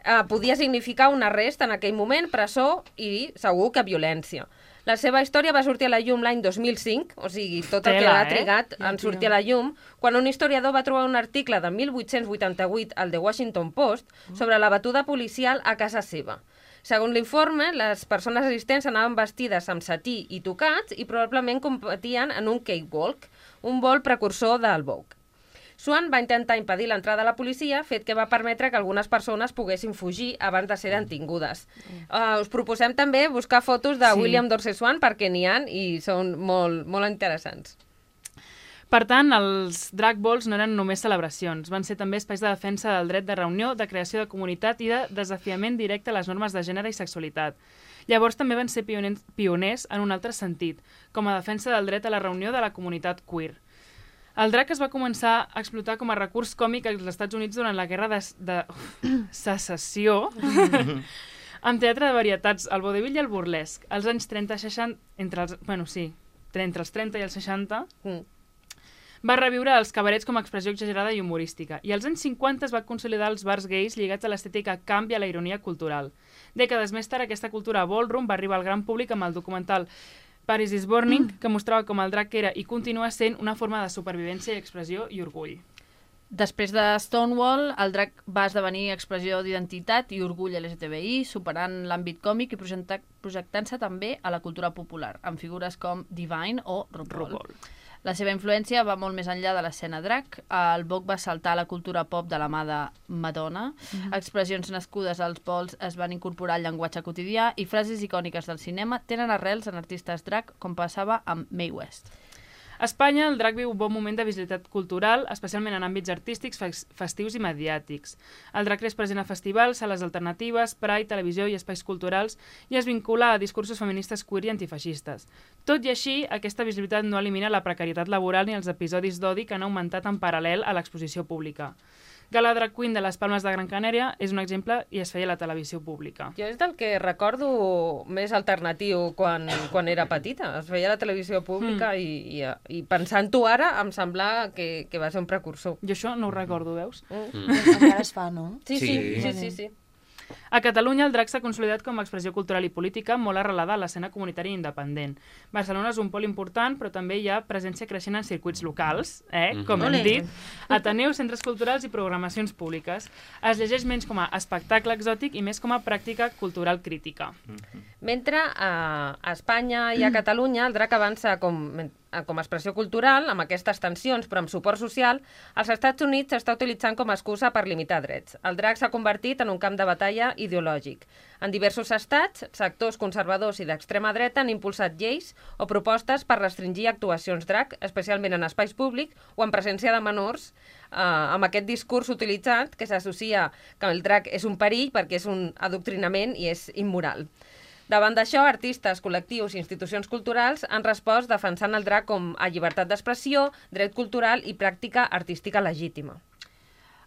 B: Eh, podia significar un arrest en aquell moment, presó i segur que violència. La seva història va sortir a la llum l'any dos mil cinc, o sigui, tot el que
C: Tela,
B: ha
C: eh?
B: trigat
C: Ja,
B: en
C: tio.
B: sortir a la llum, quan un historiador va trobar un article de mil vuit-cents vuitanta-vuit al The Washington Post sobre la batuda policial a casa seva. Segons l'informe, les persones assistents anaven vestides amb satí i tocats i probablement competien en un cakewalk, un vol precursor del Vogue. Swann va intentar impedir l'entrada de la policia, fet que va permetre que algunes persones poguessin fugir abans de ser detingudes. Uh, us proposem també buscar fotos de
C: Sí.
B: William Dorsey Swann perquè n'hi ha i són molt, molt interessants.
C: Per tant, els drag balls no eren només celebracions, van ser també espais de defensa del dret de reunió, de creació de comunitat i de desafiament directe a les normes de gènere i sexualitat. Llavors també van ser pioners, pioners en un altre sentit, com a defensa del dret a la reunió de la comunitat queer. El drag es va començar a explotar com a recurs còmic als Estats Units durant la guerra de, de secessió, amb teatre de varietats, el vodevil i el burlesc. Als anys trenta seixanta, entre els, bueno, sí, entre els trenta i els seixanta,
B: Mm.
C: va reviure els cabarets com a expressió exagerada i humorística, i als anys cinquanta es va consolidar els bars gais lligats a l'estètica camp i a la ironia cultural. Dècades més tard, aquesta cultura ballroom va arribar al gran públic amb el documental Paris is Burning, que mostrava com el drag era i continua sent una forma de supervivència i expressió i orgull.
A: Després de Stonewall, el drag va esdevenir expressió d'identitat i orgull L G T B I, superant l'àmbit còmic i projecta- projectant-se també a la cultura popular, amb figures com Divine o RuPaul.
C: RuPaul.
A: La seva influència va molt més enllà de l'escena drag. El Vogue va saltar a la cultura pop de la mà de Madonna. Expressions nascudes als balls es van incorporar al llenguatge quotidià i frases icòniques del cinema tenen arrels en artistes drag, com passava amb Mae West.
C: A Espanya, el drag viu un bon moment de visibilitat cultural, especialment en àmbits artístics, fes- festius i mediàtics. El drag és present a festivals, sales alternatives, Pride, televisió i espais culturals i es vincula a discursos feministes queer i antifeixistes. Tot i així, aquesta visibilitat no elimina la precarietat laboral ni els episodis d'odi que han augmentat en paral·lel a l'exposició pública. Gala Drag Queen de les Palmes de Gran Canària és un exemple i es feia a la televisió pública.
B: Jo és del que recordo més alternatiu quan, quan era petita. Es veia a la televisió pública mm. i, i, i pensant-ho ara em sembla que, que va ser un precursor.
C: Jo això no ho recordo, veus?
B: Mm.
F: Mm.
D: Encara es fa, no?
B: Sí, sí,
E: Sí.
B: sí, sí, sí.
C: A Catalunya el drac s'ha consolidat com a expressió cultural i política molt arrelada a l'escena comunitària independent. Barcelona és un pol important, però també hi ha presència creixent en circuits locals, eh? com hem dit, ateneus, centres culturals i programacions públiques. Es llegeix menys com a espectacle exòtic i més com a pràctica cultural crítica.
B: Mentre a Espanya i a Catalunya el drac avança com, com a expressió cultural, amb aquestes tensions, però amb suport social, als Estats Units s'està utilitzant com a excusa per limitar drets. El drac s'ha convertit en un camp de batalla ideològic. En diversos estats, sectors conservadors i d'extrema dreta han impulsat lleis o propostes per restringir actuacions drac, especialment en espais públics o en presència de menors, eh, amb aquest discurs utilitzat que s'associa que el drac és un perill perquè és un adoctrinament i és immoral. Davant d'això, artistes, col·lectius i institucions culturals han respost defensant el drac com a llibertat d'expressió, dret cultural i pràctica artística legítima.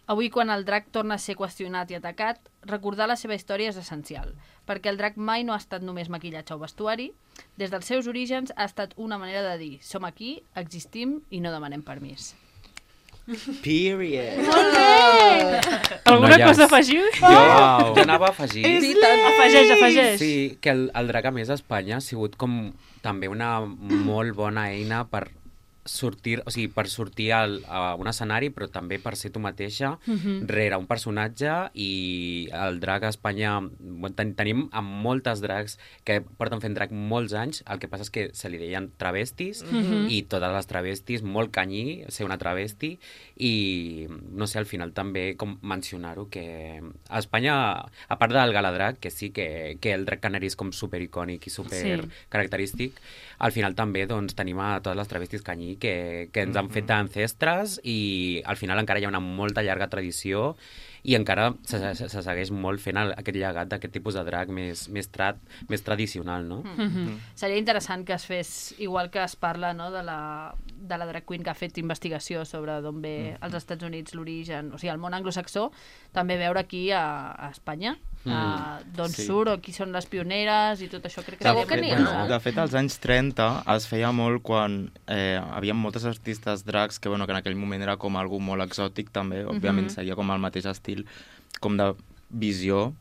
A: Avui, quan el drac torna a ser qüestionat i atacat, recordar la seva història és essencial, perquè el drac mai no ha estat només maquillatge o vestuari. Des dels seus orígens ha estat una manera de dir som aquí, existim i no demanem permís.
E: Period.
A: Molt bé!
C: Alguna
F: Noies.
C: cosa a afegir?
F: Jo, jo anava a afegir...
C: Afegeix, afegeix.
F: Sí, que el, el drac, a més, a Espanya ha sigut com també una molt bona eina per sortir, o sigui, per sortir al, a un escenari, però també per ser tu mateixa,
C: Mhm.
F: rere un personatge, i el drac a Espanya, bueno, ten, tenim amb moltes dracs que porten fent drac molts anys, el que passa és que se li deien travestis,
C: Mhm.
F: i totes les travestis, molt canyí ser una travesti, i no sé, al final també com mencionar-ho, que a Espanya, a part del galadrac, que sí que, que el drac canari és com supericònic i super
C: Sí.
F: característic, al final també doncs, tenim a totes les travestis canyí que, que ens han fet d'ancestres, i al final encara hi ha una molta llarga tradició i encara se, se, se segueix molt fent el, aquest llegat d'aquest tipus de drac més, més, tra, més tradicional, no?
A: Mm. Seria interessant que es fes, igual que es parla no, de, la, de la drag queen que ha fet investigació sobre d'on ve als Estats Units l'origen, o sigui, el món anglosaxó, també veure aquí a, a Espanya,
F: Mm.
A: uh, d'on
E: Sí.
A: surt o qui són les pioneres i tot això. Crec que
B: Segur
A: seria
B: que n'hi ha.
A: interessant.
E: De fet, als anys trenta es feia molt quan eh, havia moltes artistes dracs que, bueno, que en aquell moment era com algú molt exòtic també, òbviament
A: Mhm.
E: seguia com el mateix estil com de visió,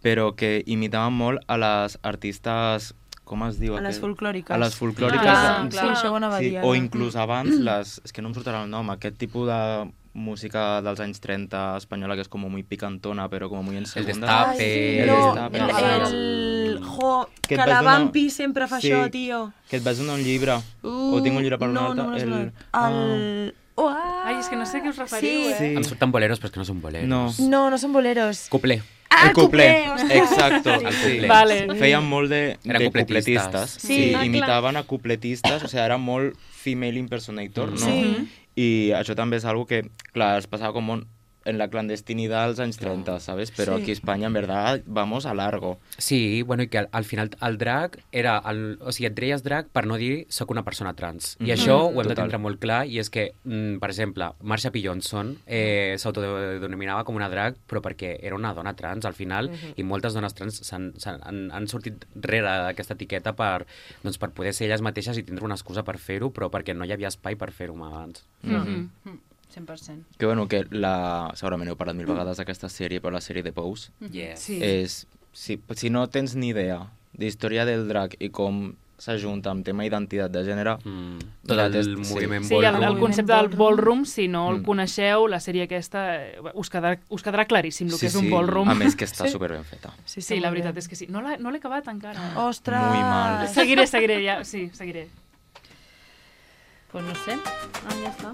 E: però que imitaven molt a les artistes, com es diu?
D: A les
E: aquest?
D: folclòriques.
E: A les folclòriques.
A: Clar,
E: de-
A: clar.
D: Sí, això ho anava a
E: Sí,
D: dir.
E: o
D: ara.
E: inclús abans, les, és que no em sortirà el nom, aquest tipus de música dels anys trenta espanyola que és com muy picantona, però com muy en
F: El
E: segunda.
F: destape,
D: sí,
E: el
D: no,
E: destape,
D: el,
E: no.
D: el... Jo,
E: Que
D: que,
E: et vas
D: la
E: donar-
D: Vampi sempre fa
E: Sí.
D: això, tio.
E: Que et vas donar un llibre,
D: Uh,
E: o tinc un llibre per
D: no,
E: un altre.
D: No, no,
E: el...
D: el... el... Oh, ah,
C: Ai, és que no sé a què us referiu,
D: sí.
C: eh?
E: Sí.
F: Em surten boleros, però és que no són boleros.
E: No.
D: No, no són boleros.
F: Cuplé.
D: Ah,
E: el cuplé,
D: ostres.
E: exacto.
F: El
E: Sí.
F: cuplé.
C: Vale.
E: Feien molt de,
F: Eren
E: de
F: cupletistes.
E: cupletistes.
D: Sí.
E: Sí,
D: Ah, clar.
E: imitaven a cupletistes, o sigui, era molt female impersonator, no?
D: Sí.
E: I això també és algo que, clar, es passava com un, en la clandestinidad als anys trenta, ¿sabes? Però
D: Sí.
E: aquí a Espanya, en verdad, vamos a largo.
F: Sí, bueno, i que al, al final el drac era... El, o sigui, et deies drac per no dir soc una persona trans. I
E: Mhm.
F: això ho hem de
E: Total.
F: tindre molt clar, i és que, mm, per exemple, Marsha P. Johnson eh, s'autodenominava com una drac, però perquè era una dona trans, al final, i moltes dones trans s'han, s'han, han, han sortit rere d'aquesta etiqueta per, doncs, per poder ser elles mateixes i tindre una excusa per fer-ho, però perquè no hi havia espai per fer-ho abans.
A: Mhm. Mm, cent per cent.
E: Que, bueno, que la... segurament heu parlat mil vegades d'aquesta sèrie, però la sèrie de Pose
F: Yes.
C: Sí.
E: és... Si, si no tens ni idea d'història del drac i com s'ajunta amb tema identitat de gènere,
F: Mm. Tot
E: Mira,
F: el
E: test-
F: moviment
C: Sí, el, el
F: ballroom.
C: concepte del ballroom, si no el
E: Mm.
C: coneixeu, la sèrie aquesta, eh, us quedarà, us quedarà claríssim el que és un ballroom.
E: A més que està superben feta.
D: Sí,
C: Sí, la veritat és que sí. No l'he no l'he acabat encara.
D: Ostres!
E: Muy mal.
C: Seguiré, seguiré, ja, sí, seguiré.
A: Pues no sé. Ah, ja està.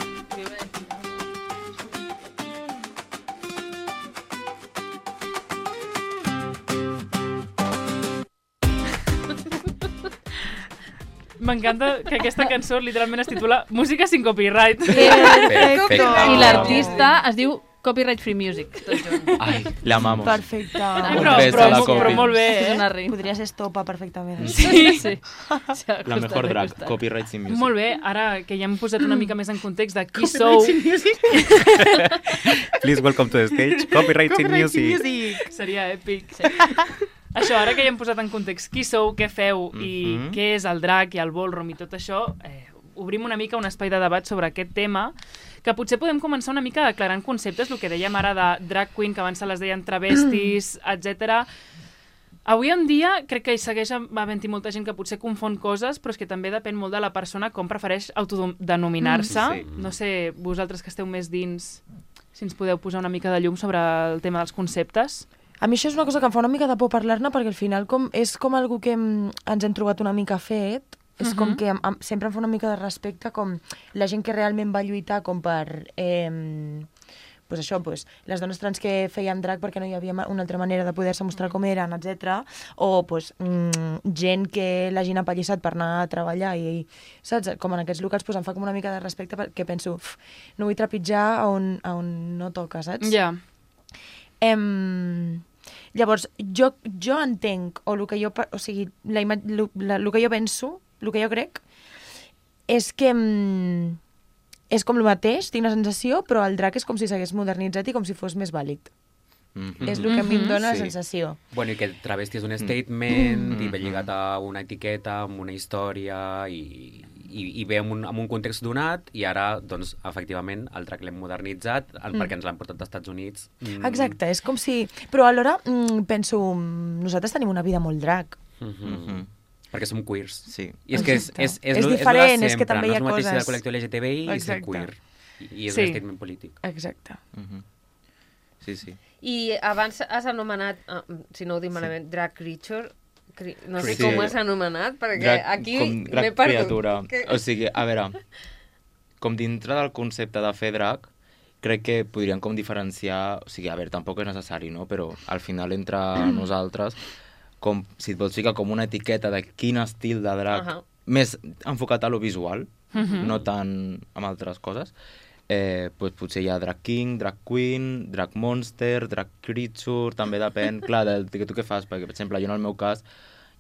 C: M'encanta que aquesta cançó literalment es titula Música sin copyright.
F: Perfecte.
A: I l'artista es diu Copyright Free Music, tot junt.
E: Ai, la amamos.
D: Perfecte.
C: Ai,
E: Un
C: però,
E: bes
C: però,
E: a la
C: però,
E: Copi.
C: molt bé,
A: És
C: eh?
A: una rima.
D: Podria ser estopa perfectament.
A: Sí, sí.
E: La mejor drag, Copyright sin music.
C: Molt bé, ara que ja hem posat una mica més en context de qui sou,
F: Please welcome to the stage. Copyright in music.
C: seria èpic. Això, ara que ja hem posat en context qui sou, què feu i
E: Mhm.
C: què és el drac i el ballroom i tot això, eh, obrim una mica un espai de debat sobre aquest tema que potser podem començar una mica declarant conceptes, el que dèiem ara de drag queen, que abans se les deien travestis, etcètera. Avui en dia crec que hi segueix havent-hi molta gent que potser confon coses, però és que també depèn molt de la persona com prefereix autodenominar-se.
E: Mm, sí.
C: No sé, vosaltres que esteu més dins, si ens podeu posar una mica de llum sobre el tema dels conceptes.
D: A mi això és una cosa que em fa una mica de por parlar-ne, perquè al final com, és com algú que hem, ens hem trobat una mica fet, és uh-huh. com que em, em, sempre em fa una mica de respecte com la gent que realment va lluitar com per... Eh, pues això, pues, les dones trans que feien drag perquè no hi havia una altra manera de poder-se mostrar com eren, etcètera. O pues, mm, gent que l'hagin apallissat per anar a treballar i, saps? Com en aquests locals pues, em fa com una mica de respecte perquè penso, uf, no vull trepitjar on, on no toca, saps?
C: Ja.
D: Em... Llavors, jo, jo entenc, o el que jo, o sigui, la, la, la, el que jo penso, el que jo crec, és que... Mm, és com el mateix, tinc la sensació, però el drag és com si s'hagués modernitzat i com si fos més vàlid. Mm-hmm. És el que a mi em dona
E: Sí.
D: la sensació.
F: Bueno, i que el travesti és un statement,
E: Mm.
F: i ve lligat a una etiqueta, amb una història, i, i, i ve amb un, amb un context donat, i ara, doncs, efectivament, el drag l'hem modernitzat, mm. perquè ens l'han portat dels Estats Units. Mm.
D: Exacte, és com si... Però alhora mm, penso, mm, nosaltres tenim una vida molt drag.
F: Mm-hmm.
E: Mhm.
F: Perquè som queers.
E: Sí.
F: I és que és,
D: Exacte.
F: és, és,
D: És
F: lo-
D: diferent,
F: lo de
D: és que també hi ha
F: no és el mateix
D: coses-
F: ser del col·lectiu L G T B I i ser
D: Exacte.
F: queer. I, i és
C: Sí.
F: un statement polític.
D: Exacte.
E: Mhm. Sí, sí.
B: I abans has anomenat, ah, si no ho dic malament, drag creature, cri... no sé
E: Sí.
B: com ho has anomenat, perquè
E: Drag,
B: aquí
E: com
B: m'he
E: drag
B: perdut.
E: criatura.
B: Que...
E: O sigui, a veure, com dintre del concepte de fer drag, crec que podríem com diferenciar... O sigui, a veure, tampoc és necessari, no? Però al final entre nosaltres, com si et vols ficar com una etiqueta de quin estil de drag,
B: Ahà.
E: més enfocat a lo visual,
C: Mhm.
E: no tant amb altres coses, eh, pues potser hi ha drag king, drag queen, drag monster, drag creature, també depèn, clar, del que tu què fas, perquè, per exemple, jo en el meu cas,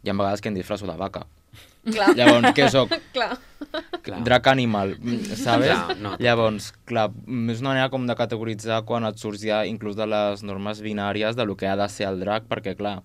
E: hi ha vegades que em disfresso de vaca.
B: Clar.
E: Llavors, què soc?
B: Clar.
F: Clar.
E: Drag animal, mm, sabes?
F: Clar, no.
E: Llavors, clar, mm, és una manera com de categoritzar quan et surts ja inclús de les normes binàries de lo que ha de ser el drag, perquè, clar,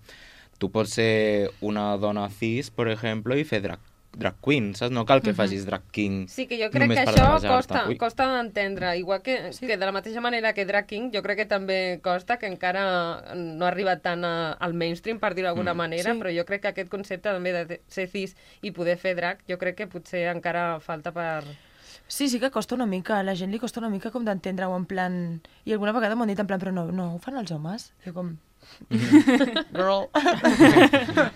E: tu pots ser una dona cis, per exemple, i fer drag, drag queen, saps? No cal que facis drag king.
B: Sí, que jo crec
E: només
B: que
E: per
B: això
E: barrejar-te.
B: costa,
E: Ui.
B: costa d'entendre. Igual que, sí. que de la mateixa manera que drag king, jo crec que també costa, que encara no ha arribat tant a, al mainstream, per dir-ho d'alguna
E: Mm.
B: manera,
D: Sí.
B: però jo crec que aquest concepte també de ser cis i poder fer drag, jo crec que potser encara falta per...
D: Sí, sí que costa una mica, a la gent li costa una mica com d'entendre-ho en plan... I alguna vegada m'ho han dit en plan, però no, no ho fan els homes? Jo com... Girl.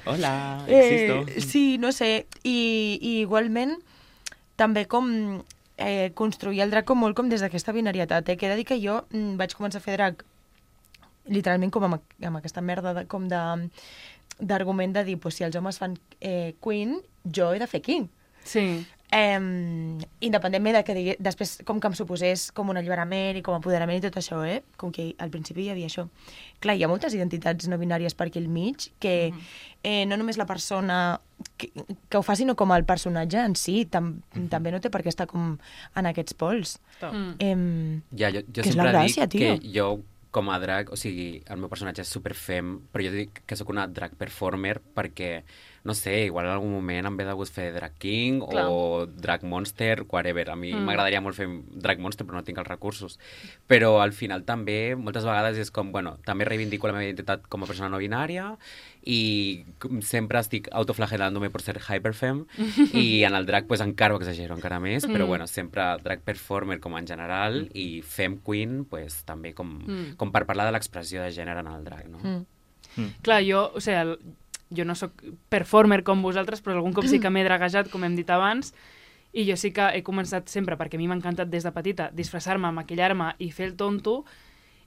E: Hola,
D: Eh,
E: existo.
D: sí, no sé, i, i igualment també com eh, construir el drag com molt com des d'aquesta binarietat. Eh? Que he de dir que jo mm, vaig començar a fer drag literalment com amb, amb aquesta merda de, com de d'argument de dir, pues, si els homes fan eh, queen, jo he de fer king.
C: Sí.
D: Eh, independentment de que digui, després com que em suposés com un alliberament i com empoderament i tot això, eh? Com que al principi hi havia això. Clar, hi ha moltes identitats no binàries per aquí al mig que mm -hmm. eh, no només la persona que, que ho fa, sinó com el personatge en si, tam, mm -hmm. també no té per què estar com en aquests pols.
C: Mm.
D: Eh,
F: Ja, jo, jo
D: Que és la
F: sempre
D: gràcia,
F: dic
D: tio.
F: que jo, com a drag, o sigui, el meu personatge és superfem, però jo dic que sóc una drag performer perquè, no sé, igual en algun moment em ve de gust fer drag king
B: Clar.
F: o drag monster, whatever. A mi
C: Mm.
F: m'agradaria molt fer drag monster, però no tinc els recursos. Però al final també, moltes vegades és com, bueno, també reivindico la meva identitat com a persona no binària i com sempre estic autoflagelant-me per ser hyperfem i en el drag pues, encara ho exagero encara més, però
C: Mm.
F: bueno, sempre drag performer com en general i fem queen pues, també com,
C: Mm.
F: com per parlar de l'expressió de gènere en el drag, no?
D: mm.
C: Clar, jo, o sigui, el, jo no sóc performer com vosaltres, però algun cop sí que m'he draguejat, com hem dit abans, i jo sí que he començat sempre, perquè a mi m'ha encantat des de petita, disfressar-me, maquillar-me i fer el tonto,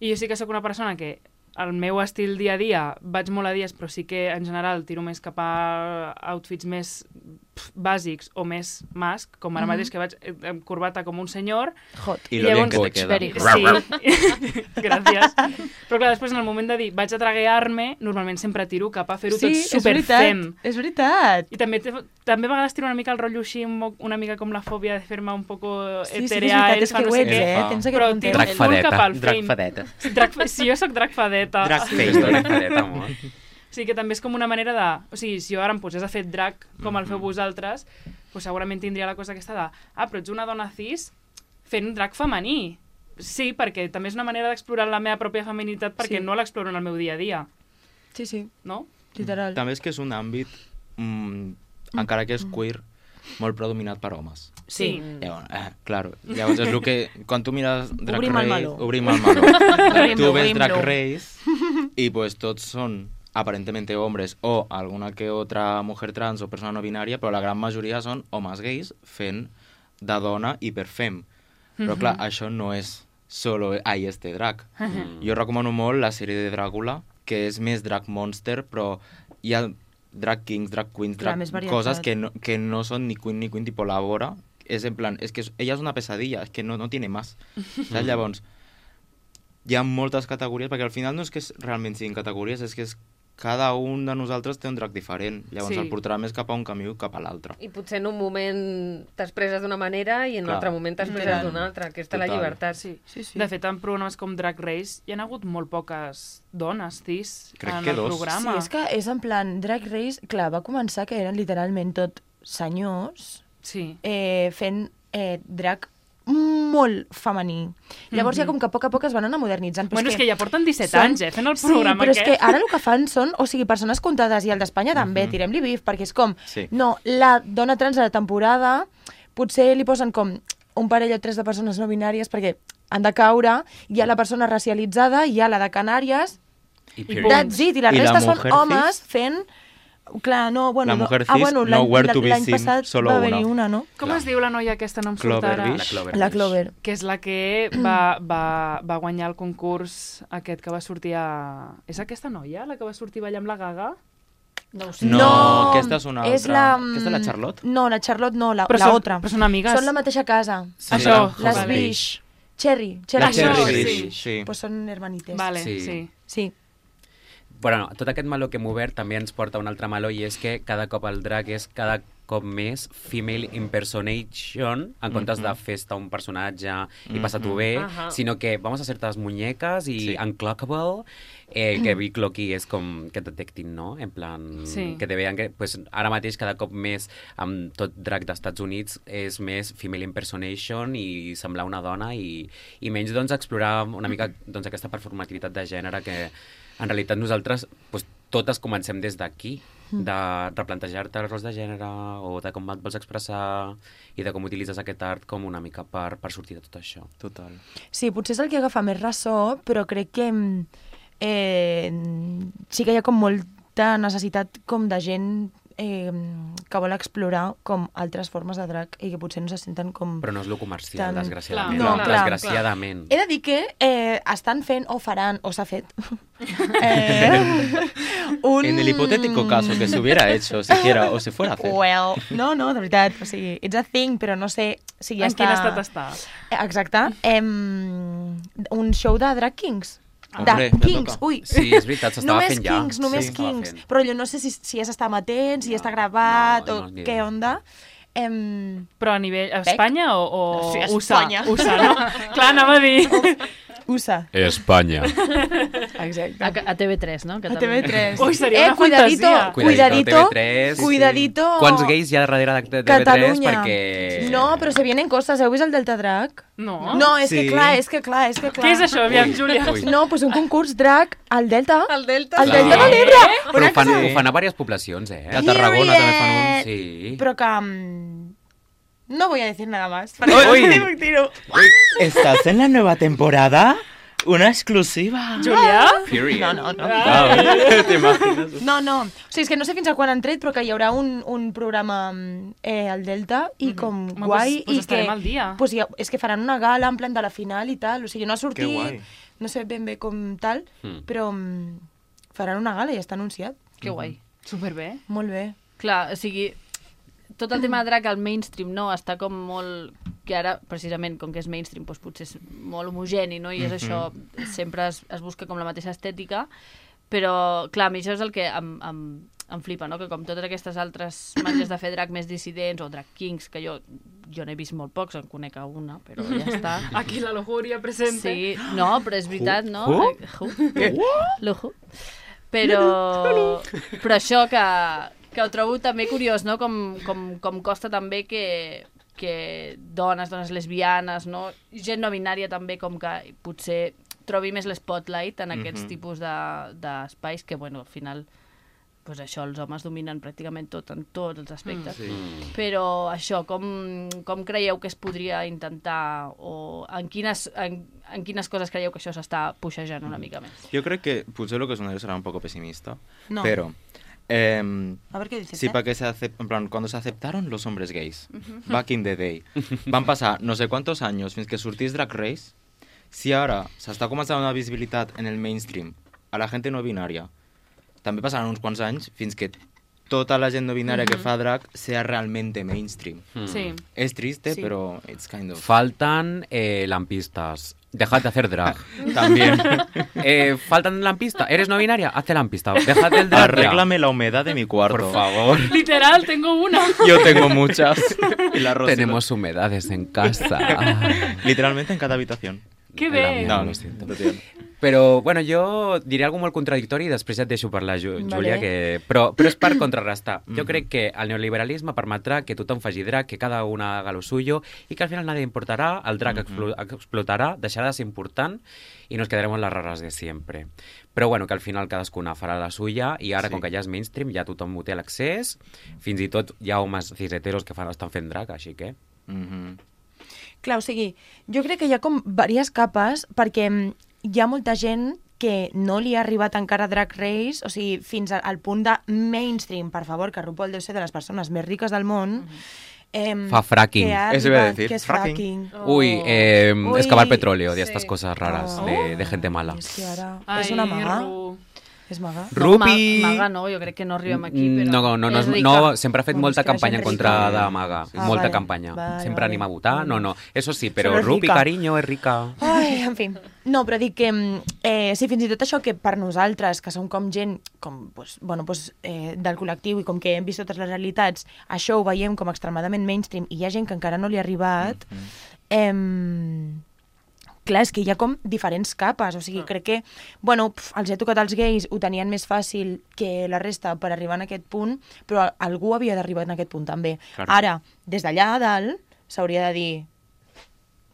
C: i jo sí que sóc una persona que el meu estil dia a dia vaig molt a dies, però sí que en general tiro més cap a outfits més pf, bàsics o més mask, com ara
D: Mhm.
C: mateix que vaig eh, amb corbata com un senyor.
D: Hot.
E: I lo bien
C: llavors-
E: que te queda.
A: Very hot.
C: Sí, gràcies. Però clar, després en el moment de dir vaig a draguear-me, normalment sempre tiro cap a fer-ho
D: Sí,
C: tot
D: és
C: superfem.
D: veritat, és veritat.
C: I també, te- també a vegades tiro una mica el rotllo així, un mo- una mica com la fòbia de fer-me un poco
D: Sí, sí, que és
C: eterea,
D: veritat, és
C: elfa,
D: que
C: no
D: ho
C: sé
D: ets,
C: què.
D: eh?
E: Fa.
D: Tens
C: Però
D: aquest
C: tiro
D: context.
C: full cap al
F: drag
C: fame.
F: fadeta.
C: Drag, si jo sóc drag fadeta.
E: Drag
F: Sí,
E: face.
F: drag fadeta, amor.
C: O sigui que també és com una manera de... O sigui, si jo ara em posés a fer drag com el feu vosaltres, doncs segurament tindria la cosa aquesta de ah, però ets una dona cis, fent un drag femení. Sí, perquè també és una manera d'explorar la meva pròpia feminitat perquè
D: Sí.
C: no l'exploro en el meu dia a dia,
D: Sí, sí,
C: no?
D: literal.
E: També és que és un àmbit, mm, encara que és queer, molt predominat per homes.
D: Sí.
E: Llavors, eh, claro. Llavors és el que... Quan tu mires Drag
D: Obrim el
E: Race...
D: meló.
E: Obrim el meló.
D: Obrim-lo,
E: tu ves Drag
D: obrim-lo.
E: Race y pues tots són aparentemente hombres o alguna que otra mujer trans o persona no binària, però la gran majoria són homes gais fent de dona i per fem. Però clar, això no és solo ai, este drag. Jo recomano molt la sèrie de Dràcula, que és més drag monster, però hi ha drag kings, drag queens,
D: Clar,
E: drag
D: més varietat.
E: coses que no, que no son ni queen ni queen, tipo la Bora, és en plan, és que és, ella és una pesadilla, és que no, no tiene más. Saps? Llavors, hi ha moltes categories, perquè al final no és que realment siguin categories, és que és cada un de nosaltres té un drag diferent. Llavors
C: Sí.
E: el portarà més cap a un camí o cap a l'altre.
B: I potser en un moment t'expresses d'una manera i en un
E: Clar.
B: altre moment t'expresses d'una altra. Aquesta és la
E: Total.
B: llibertat.
C: Sí.
D: Sí, sí.
C: De fet, en programes com Drag Race hi ha hagut molt poques dones cis
E: Crec
C: en
E: que
C: el
E: dos.
C: programa.
D: Sí, és que és en plan, Drag Race, clar, va començar que eren literalment tot senyors
C: Sí.
D: eh, fent eh, drag molt femení. Llavors ja com que a poc a poc es van anar modernitzant. Però
C: Bueno, és que ja porten disset
D: són-
C: anys, eh, fent el programa
D: sí, però és
C: aquest.
D: que ara el que fan són, o sigui, persones comptades, i el d'Espanya també, tirem-li bif, perquè és com,
E: Sí.
D: no, la dona trans de la temporada, potser li posen com un parell o tres de persones no binàries, perquè han de caure, hi ha la persona racialitzada, hi ha la de Canàries,
F: I
C: I
F: period.
D: that's it, i la
E: I la
D: resta són
E: mujer
D: homes
E: cis?
D: fent... Clar, no, bueno,
E: La mujer
D: no, ah,
E: cis,
D: bueno, l'any-
E: nowhere to be
D: l'any
E: seen,
D: passat
E: solo
D: va haver-hi
E: una.
D: una, no?
C: Com
F: Clar.
C: es diu la noia aquesta? No em surt ara.
E: Clover
F: La Clover.
D: La Clover.
C: Que és la que va, va, va guanyar el concurs aquest que va sortir a... És aquesta noia, la que va sortir ballar amb la Gaga?
A: No ho sé.
E: No, aquesta és una
D: és
E: altra.
D: la...
E: Aquesta és la Charlotte?
D: No, la Charlotte no, la,
C: Però
D: la
C: són-
D: otra.
C: però són amigues.
D: Són la mateixa casa.
F: Sí,
C: Això,
F: la
D: Les
C: vale.
D: Bish. Cherry. Cherry.
E: La
C: Això,
E: Cherry
C: sí.
E: Bish, sí.
D: Pues són hermanites.
C: Vale,
F: Sí.
C: sí.
D: Sí.
F: Bueno, tot aquest meló que hem obert també ens porta a un altre meló i és que cada cop el drag és cada cop més female impersonation en comptes de festa un personatge i passa-t'ho bé,
B: Ajá.
F: sinó que vamos a ser tas muñecas i
E: Sí.
F: unclockable, eh, que Big Loki és com que et detectin, no? En plan,
C: Sí.
F: que te vean que pues, ara mateix cada cop més amb tot drag d'Estats Units és més female impersonation i semblar una dona i, i menys doncs explorar una mica doncs, aquesta performativitat de gènere que en realitat nosaltres pues, totes comencem des d'aquí, de replantejar-te els rols de gènere o de com et vols expressar i de com utilitzes aquest art com una mica per, per sortir de tot això.
E: Total.
D: Sí, potser és el que agafa més ressò, però crec que mm, eh, sí que hi ha com molta necessitat com de gent eh, que vol explorar com altres formes de drag i que potser no se senten com...
F: Però no és lo comercial,
D: Tant-
F: desgraciadament.
D: Clar. No, clar,
F: desgraciadament.
D: He de dir que eh, estan fent, o faran, o s'ha fet, eh, un...
E: En el hipotético caso que se hubiera hecho siquiera o se fuera a hacer.
D: Well, no, no, de veritat, o sigui, it's a thing, però no sé si ja
C: En
D: està...
C: quin estat està?
D: Eh, Exacte. Em, un show de drag kings.
E: Hombre,
D: de
E: ja
D: kings,
E: toca.
D: ui.
F: Sí, és veritat, s'estava
D: només
F: fent ja.
D: Kings, només
F: Sí, s'estava
D: kings.
F: fent.
D: Però jo no sé si, si ja s'està amatent, si ja
F: No,
D: està gravat,
F: no,
D: o
F: no, ni
D: què
F: idea.
D: onda. Em,
C: Però a nivell... A Espanya o, o
D: Sí, a
C: U S A?
D: Espanya.
C: U S A, no? Clar, anava a dir...
D: U S A.
F: Espanya.
D: Exacte.
A: A, a T V tres, no? Que
D: A T V tres.
C: Ui, seria una
D: cuidadito,
C: fantasia.
D: cuidadito,
F: T V tres.
D: cuidadito.
F: Quants gais hi ha darrere de T V tres?
D: Catalunya.
F: Perquè...
D: No, però se vienen coses. Heu vist el Delta Drag?
C: No.
D: No, és que
E: Sí.
D: clar, és que clar, és que clar.
C: Què és això, aviam, Júlia?
F: Ui.
D: No, doncs un concurs drag al Delta.
B: El Delta.
D: Al
F: Clar.
D: Delta de l'Ebre.
F: Però
D: Una
F: ho fan,
D: cosa-
F: ho fan a diverses poblacions, eh?
E: A Tarragona també fan un.
D: Period.
F: Sí.
D: Però que... mm, no voy a decir nada más.
E: Uy.
D: Uy. Tiro.
E: ¿Estás en la nueva temporada? Una exclusiva.
C: Júlia?
F: Period.
D: No, no, no.
E: Ah, ¿te imaginas?
D: No, no. O sigui, és que no sé fins a quan han tret, però que hi haurà un, un programa mm, eh, al Delta i com
C: Home,
D: guai.
C: pues- pues
D: i
C: estarem
D: que,
C: al dia.
D: Pues, ja, és que faran una gala en plan de la final i tal. O sigui, no ha sortit,
E: guai.
D: no sé ben bé com tal,
F: Mm.
D: però mm, faran una gala i està anunciat.
A: Que guai.
C: Superbé.
D: Molt bé.
A: Clar, o sigui, tot el tema de drag al mainstream, no? Està com molt... Que ara, precisament, com que és mainstream, doncs potser és molt homogeni, no? I és això, sempre es, es busca com la mateixa estètica, però, clar, a mi això és el que em, em, em flipa, no? Que com totes aquestes altres maneres de fer drag més dissidents o drag kings, que jo, jo n'he vist molt pocs, en conec a una, però ja està.
C: Aquí la lujuria presente.
A: Sí, no, però és veritat, no?
E: Who?
A: Eh, who? Lujo. Però, però això que, que ho trobo també curiós, no? Com, com, com costa també que, que dones, dones lesbianes, no? Gent no binària també, com que potser trobi més l'spotlight en aquests
E: Mhm.
A: tipus de- d'espais que, bueno, al final, pues això, els homes dominen pràcticament tot, en tots els aspectes.
E: Sí.
F: Mm.
A: Però això, com, com creieu que es podria intentar, o en quines, en, en quines coses creieu que això s'està puixejant una mica més?
E: Yo creo que, potser lo que sonaré será un poco pesimista,
D: No.
E: pero... em,
D: A ver qué dices,
E: Sí,
D: ¿eh?
E: para que se acep- en plan, cuando se aceptaron los hombres gays, back in the day, van passar no sé quantos anys fins que sortís Drag Race. Si ara s'està començant una visibilitat en el mainstream a la gent no binària, també passaran uns quants anys fins que tota la gent no binària que fa drag sea realmente mainstream.
F: Mm.
A: Sí.
E: Es triste,
D: Sí.
E: pero it's kind of...
F: Faltan eh, lampistas. Dejad de hacer drag.
E: También.
F: Eh, faltan lampistas. ¿Eres no binaria? Hazte lampista. Dejad el drag. ya.
E: Arréglame la humedad de mi cuarto.
F: Por favor.
C: Literal, tengo una.
E: Yo tengo muchas. Y la Rosy
F: Tenemos humedades en casa.
E: literalmente en cada habitación.
C: Que
F: La
C: bé.
F: mía,
E: No,
F: lo
E: no,
F: siento.
E: no tiene.
F: Però, bueno, jo diré alguna molt contradictori i després et deixo parlar, Ju
D: Vale.
F: Júlia, que... però, però és per contrarrestar. Jo
E: Mhm.
F: crec que el neoliberalisme permetrà que tothom faci drag, que cada una haga lo suyo i que al final nadie importarà, el drag explo explotarà, deixarà de ser important i nos quedaremos las raras de siempre. Però bueno, que al final cadascuna farà la suya i ara,
E: Sí.
F: com que ja és mainstream, ja tothom ho té a l'accés, fins i tot hi ha homes cis-heteros que fan, estan fent drag, així que...
E: Mhm.
D: Clar, o sigui, jo crec que hi ha com diverses capes perquè mm, hi ha molta gent que no li ha arribat encara Drag Race, o sigui, fins al, al punt de mainstream, per favor, que RuPaul deu ser de les persones més riques del món. em,
F: Fa fracking.
D: que ha
E: Eso iba a
D: arribat-
E: decir,
D: que és
E: fracking.
D: fracking.
F: Uy, eh,
D: Uy,
F: excavar petróleo, de
B: sí.
F: estas cosas raras,
D: Oh.
F: de, de gente mala.
D: És que ara
C: Ai,
D: és una maga.
C: Ru.
D: És maga.
F: Ru-
A: No,
F: Rupi!
A: Ma Maga no, jo crec que no arribem aquí,
F: Mm,
A: però
F: No, no, no,
A: és
F: no,
A: rica.
F: no, sempre ha fet
D: Bueno,
F: molta
D: és que la
F: campanya en
D: gent
F: contra
E: rica.
F: de Maga,
E: Sí,
D: sí.
F: molta
D: Ah, vale,
F: campanya.
D: vale,
F: Sempre
D: vale.
F: anima a votar, no, no, eso sí, però
D: Solo es
F: Rupi,
D: rica.
F: cariño, és rica.
D: Ai, en fi. No, però dic que, mm, eh, sí, fins i tot això que per nosaltres, que som com gent com, pues, bueno, pues, eh, del col·lectiu i com que hem vist totes les realitats, això ho veiem com extremadament mainstream i hi ha gent que encara no li ha arribat, eh, clar, és que hi ha com diferents capes, o sigui, crec que, bueno, pf, els ha tocat els gais, ho tenien més fàcil que la resta per arribar en aquest punt, però algú havia d'arribar en aquest punt també.
E: Claro.
D: Ara, des d'allà a dalt, s'hauria de dir,